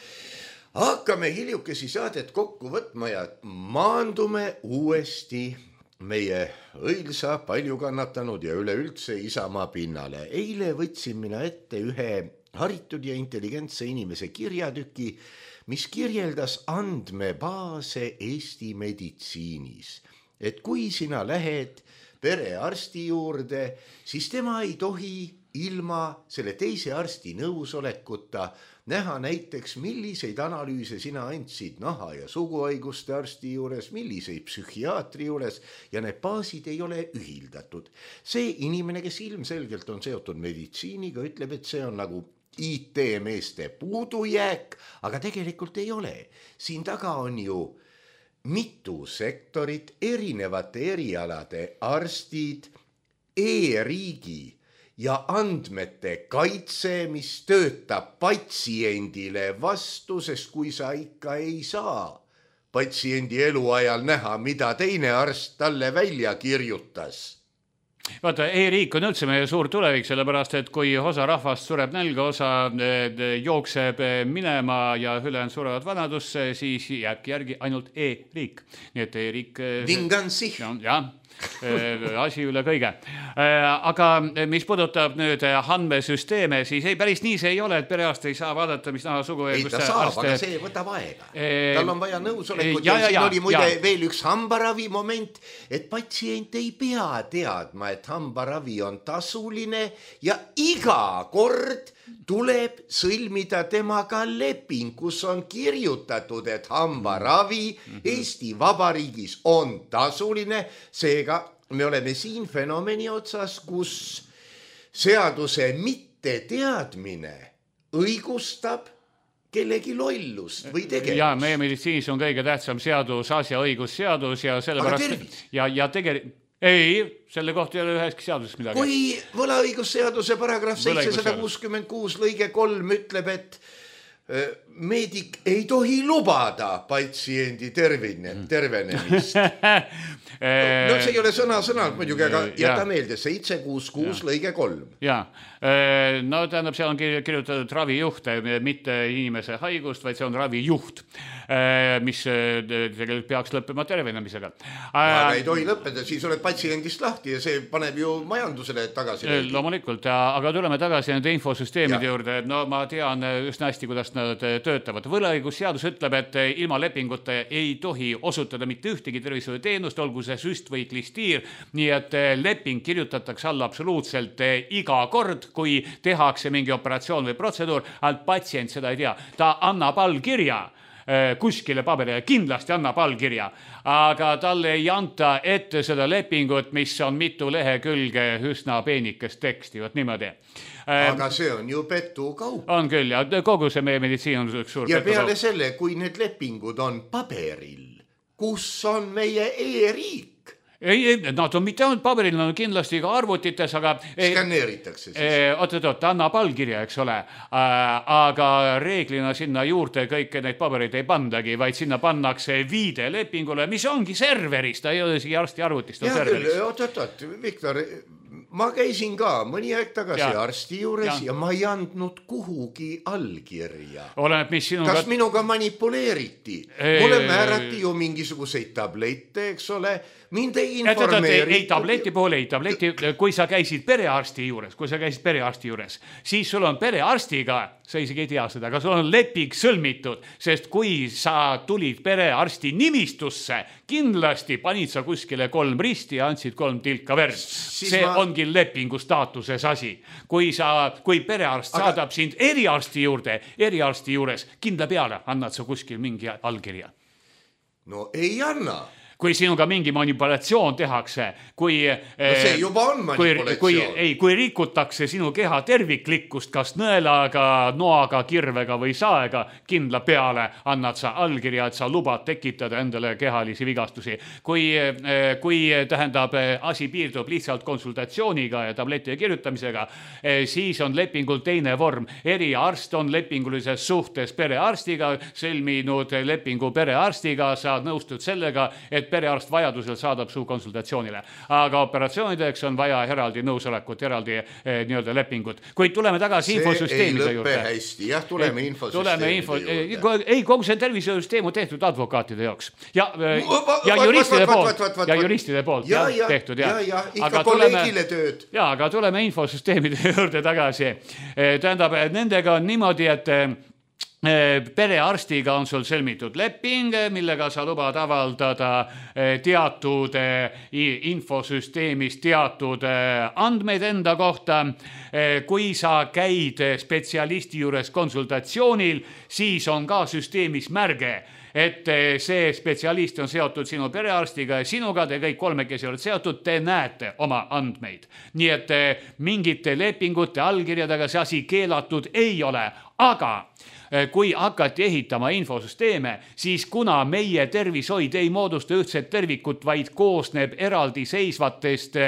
C: hakkame hiljukesi saadet kokku võtma ja maandume uuesti meie õilsa, palju kannatanud ja üleüldse Isamaa pinnale. Eile võtsin mina ette ühe haritud ja intelligentse inimese kirjatüki, mis kirjeldas andmebaase Eesti meditsiinis. Et kui sina lähed perearsti juurde, siis tema ei tohi ilma selle teise arsti nõusolekuta näha näiteks, milliseid analüüse sina andsid naha- ja suguhaiguste arsti juures, milliseid psühhiaatri juures ja need baasid ei ole ühildatud. See inimene, kes ilmselgelt on seotud meditsiiniga, ütleb, et see on nagu IT-meeste puudujääk, aga tegelikult ei ole. Siin taga on ju mitu sektorit, erinevate erialade arstid, e-riigi ja andmete kaitse, mis töötab patsiendile vastu, sest kui sa ikka ei saa patsiendi eluajal näha, mida teine arst talle välja kirjutas.
D: Vaata, e-riik on üldse meie suur tulevik, sellepärast, et kui osa rahvast sureb nälga, osa jookseb minema ja ülejäänud surevad vanadusse, siis jääbki järgi ainult e-riik. Nii et e-riik...
C: Vingansih.
D: Jah, asi üle kõige. Aga mis puudutab nüüd andmesüsteeme, siis ei, päris nii see ei ole, et perearst ei saa vaadata, mis naha sugu...
C: Ei, ta saab, aga see võtab aega. Tal on vaja nõusolekut ja siin oli muide veel üks hambaravi moment, et patsient ei pea teadma, et hambaravi on tasuline ja iga kord tuleb sõlmida temaga leping, kus on kirjutatud, et hambaravi Eesti Vabariigis on tasuline. Seega me oleme siin fenomeni otsas, kus seaduse mitte teadmine õigustab kellegi lollust või tegevust.
D: Ja meie meditsiinis on kõige tähtsam seadus, asja õigusseadus ja sellepärast... Ja tegelikult... Ei, selle kohta ei ole üheski seaduses midagi.
C: Kui võlaõigusseaduse paragrahv 766 lõige 3 ütleb, et meedik ei tohi lubada patsiendi tervenemist. No see ei ole sõna-sõnalt muidugi, aga jäta meelde 766 lõige 3.
D: Jaa, no tähendab, seal on kirjutatud ravijuht, mitte inimese haigust, vaid see on ravijuht, mis tegelikult peaks lõppema tervenemisega.
C: Aga ei tohi lõppeda, siis oled patsiendist lahti ja see paneb ju majandusele tagasi.
D: Loomulikult, aga tuleme tagasi nende infosüsteemide juurde. No ma tean üsna hästi, kuidas nad töötavad. Võlaõigusseadus ütleb, et ilma lepinguta ei tohi osutada mitte ühtegi tervishoiuteenust, olgu see süst või klistiir, nii et leping kirjutatakse alla absoluutselt iga kord, kui tehakse mingi operatsioon või protseduur, ainult patsient seda ei tea. Ta annab allkirja kuskile paberile, kindlasti annab allkirja, aga talle ei anta ette seda lepingut, mis on mitu lehekülge üsna peenikest teksti, võt niimoodi.
C: Aga see on ju petukaup.
D: On küll, ja kogu see meie meditsiin on üks suur
C: ja peale selle, kui need lepingud on paberil, kus on meie e-riik?
D: Nad on mitte ainult paberil, nad on kindlasti ka arvutites, aga
C: skanneeritakse siis.
D: Oot, annab allkirja, eks ole, aga reeglina sinna juurde kõike neid pabereid ei pandagi, vaid sinna pannakse viide lepingule, mis ongi serveris, ta ei ole isegi arsti arvutist, on serveris.
C: Oot, Viktor, ma käisin ka mõni aeg tagasi arsti juures ja ma ei andnud kuhugi allkirja.
D: Oleneb, mis sinuga...
C: Kas minuga manipuleeriti? Mulle määrati ju mingisuguseid tablette, eks ole, mind ei informeeriti.
D: Ei, tableti poole, kui sa käisid perearsti juures, siis sul on perearstiga, sa isegi ei tea seda, aga sul on leping sõlmitud, sest kui sa tulid perearsti nimistusse, kindlasti panid sa kuskile 3 risti ja andsid 3 tilka verd. See ongi lepingu staatuses asi. Kui perearst saadab sind eriarsti juures, kindla peale annad sa kuskil mingi allkirja.
C: No ei anna.
D: Kui sinuga mingi manipulatsioon tehakse,
C: see juba on manipulatsioon.
D: Kui rikutakse sinu keha terviklikkust, kas nõelaga, noaga, kirvega või saega, kindla peale annad sa allkirja, et sa lubad tekitada endale kehalisi vigastusi. Kui tähendab, asi piirdub lihtsalt konsultatsiooniga ja tableti kirjutamisega, siis on lepingul teine vorm. Eriarst on lepingulises suhtes perearstiga, sõlminud lepingu perearstiga, sa nõustud sellega, et perearst vajadusel saadab su konsultatsioonile. Aga operatsioonideks on vaja eraldi nõusolekut, eraldi nii-öelda lepingut. Kuid tuleme tagasi infosüsteemide juurde.
C: See ei lõppe hästi, jah, tuleme infosüsteemide juurde.
D: Ei, kogu see tervisesüsteem on tehtud advokaatide jaoks. Ja juristide poolt tehtud.
C: Ja, ikka kolleegile tööd.
D: Ja, aga tuleme infosüsteemide juurde tagasi. Tähendab, nendega on niimoodi, et perearstiga on sul sõlmitud leping, millega sa lubad avaldada teatud infosüsteemis teatud andmeid enda kohta. Kui sa käid spetsialisti juures konsultatsioonil, siis on ka süsteemis märge, et see spetsialist on seotud sinu perearstiga ja sinuga, te kõik kolmekesi olete seotud, te näete oma andmeid. Nii et mingite lepingute allkirjadega see asi keelatud ei ole, aga kui hakati ehitama infosüsteeme, siis kuna meie tervishoid ei moodusta ühtset tervikut, vaid koosneb eraldiseisvatest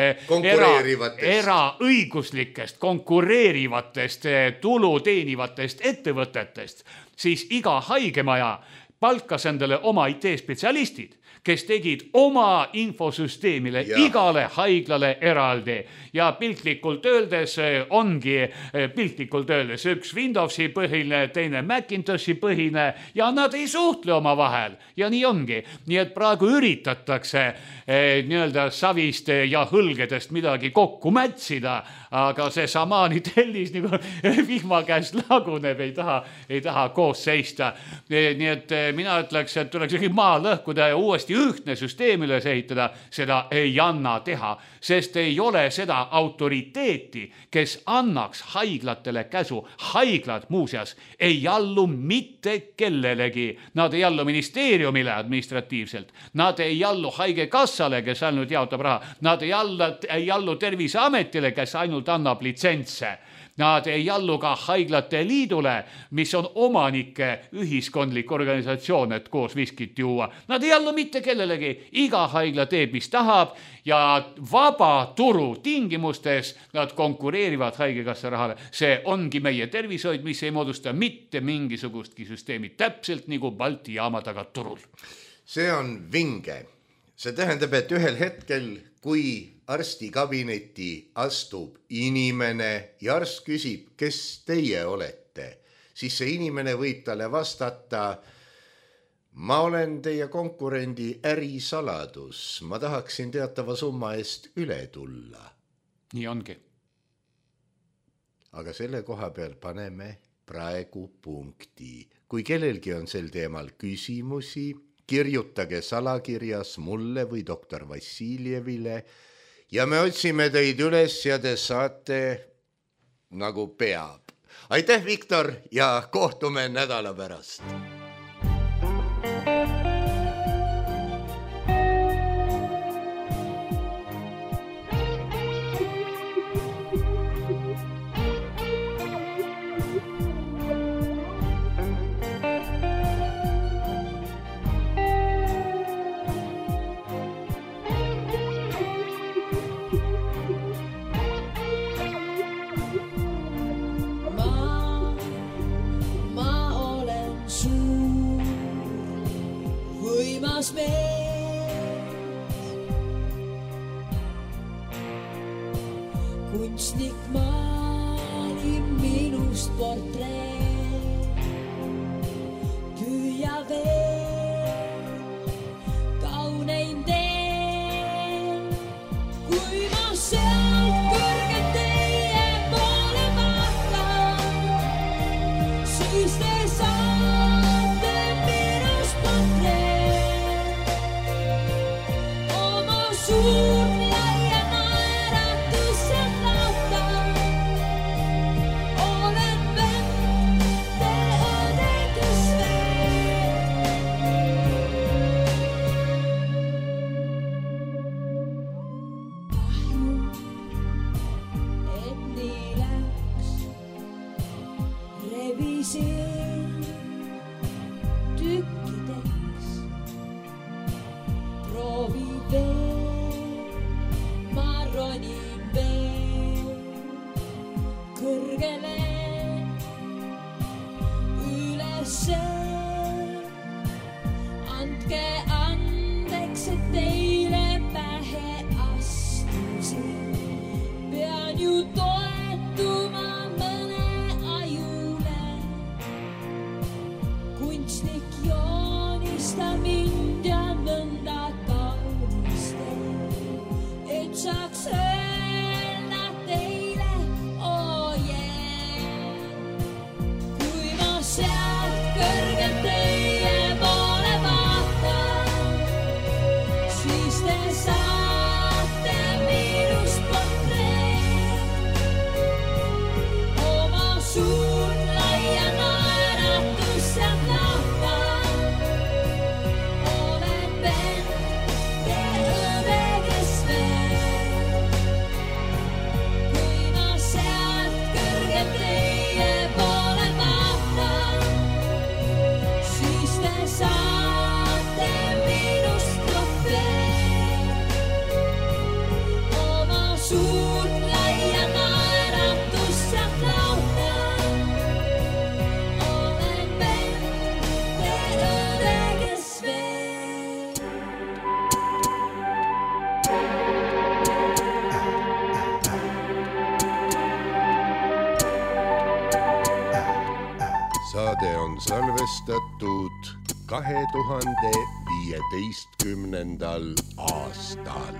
D: eraõiguslikest, konkureerivatest, tulu teenivatest ettevõtetest, siis iga haigemaja palkas endale oma IT-spetsialistid, kes tegid oma infosüsteemile igale haiglale eraldi. Ja piltlikult öeldes ongi üks Windowsi põhine, teine Macintoshi põhine ja nad ei suhtle oma vahel. Ja nii ongi. Nii et praegu üritatakse nii-öelda savist ja hõlgedest midagi kokku mätsida, aga see samaani tellis nagu vihma käes laguneb, ei taha koos seista. Nii et mina ütleks, et tuleks maa lõhkuda ja uuesti ühtne süsteem üles ehitada, seda ei anna teha, sest ei ole seda autoriteeti, kes annaks haiglatele käsu. Haiglad muuseas ei allu mitte kellelegi. Nad ei allu ministeeriumile administratiivselt. Nad ei allu haigekassale, kes ainult jaotab raha. Nad ei allu Terviseametile, kes ainult annab litsentse. Nad ei allu ka haiglate liidule, mis on omanike ühiskondlik organisatsioon, et koos viskit juua. Nad ei allu mitte kellelegi. Iga haigla teeb, mis tahab ja vaba turu tingimustes nad konkureerivad haigekassa rahale. See ongi meie tervishoid, mis ei moodusta mitte mingisugustki süsteemi, täpselt nagu Balti jaama taga turul.
C: See on vinge. See tähendab, et ühel hetkel, kui arstikabineti astub inimene ja arst küsib, kes teie olete, siis see inimene võib talle vastata, ma olen teie konkurendi ärisaladus, ma tahaksin teatava summa eest üle tulla.
D: Nii ongi.
C: Aga selle koha peal paneme praegu punkti. Kui kellelgi on sel teemal küsimusi, kirjutage salakirjas mulle või doktor Vassiljevile ja me otsime teid üles ja te saate nagu peab. Aitäh, Viktor, ja kohtume nädala pärast.
E: armas mees. Kunstnik maalib minust portreed, püüa veel kauneim teen. Kui ma sealt kõrgelt teie poole vaatan, siis te saate minust portreed. Oma suurt laia naeratused lautan, olen vette õde, kes veel. Kahju, et nii läks, rebisin tükkideks. Proovi veel, ma ronin veel kõrgele ülesse. Andke andeks, et teile pähe astusin. Pean ju toetuma mõne ajule. Kunstnik joonista mind ja nõnda kaunistel, et saaks öelda teile, oh yeah. Kui ma sealt kõrgelt teie poole vaatan, siis te saate minust portreed. Oma suurt laia naeratused lautan, olen vette õde, kes veel. Kui ma sealt kõrgelt teie poole vaatan, siis te saate minust trofeed. Oma suurt laia naeratused lautan, olen vette õde, kes veel.
C: Saade on salvestatud 2015. aastal.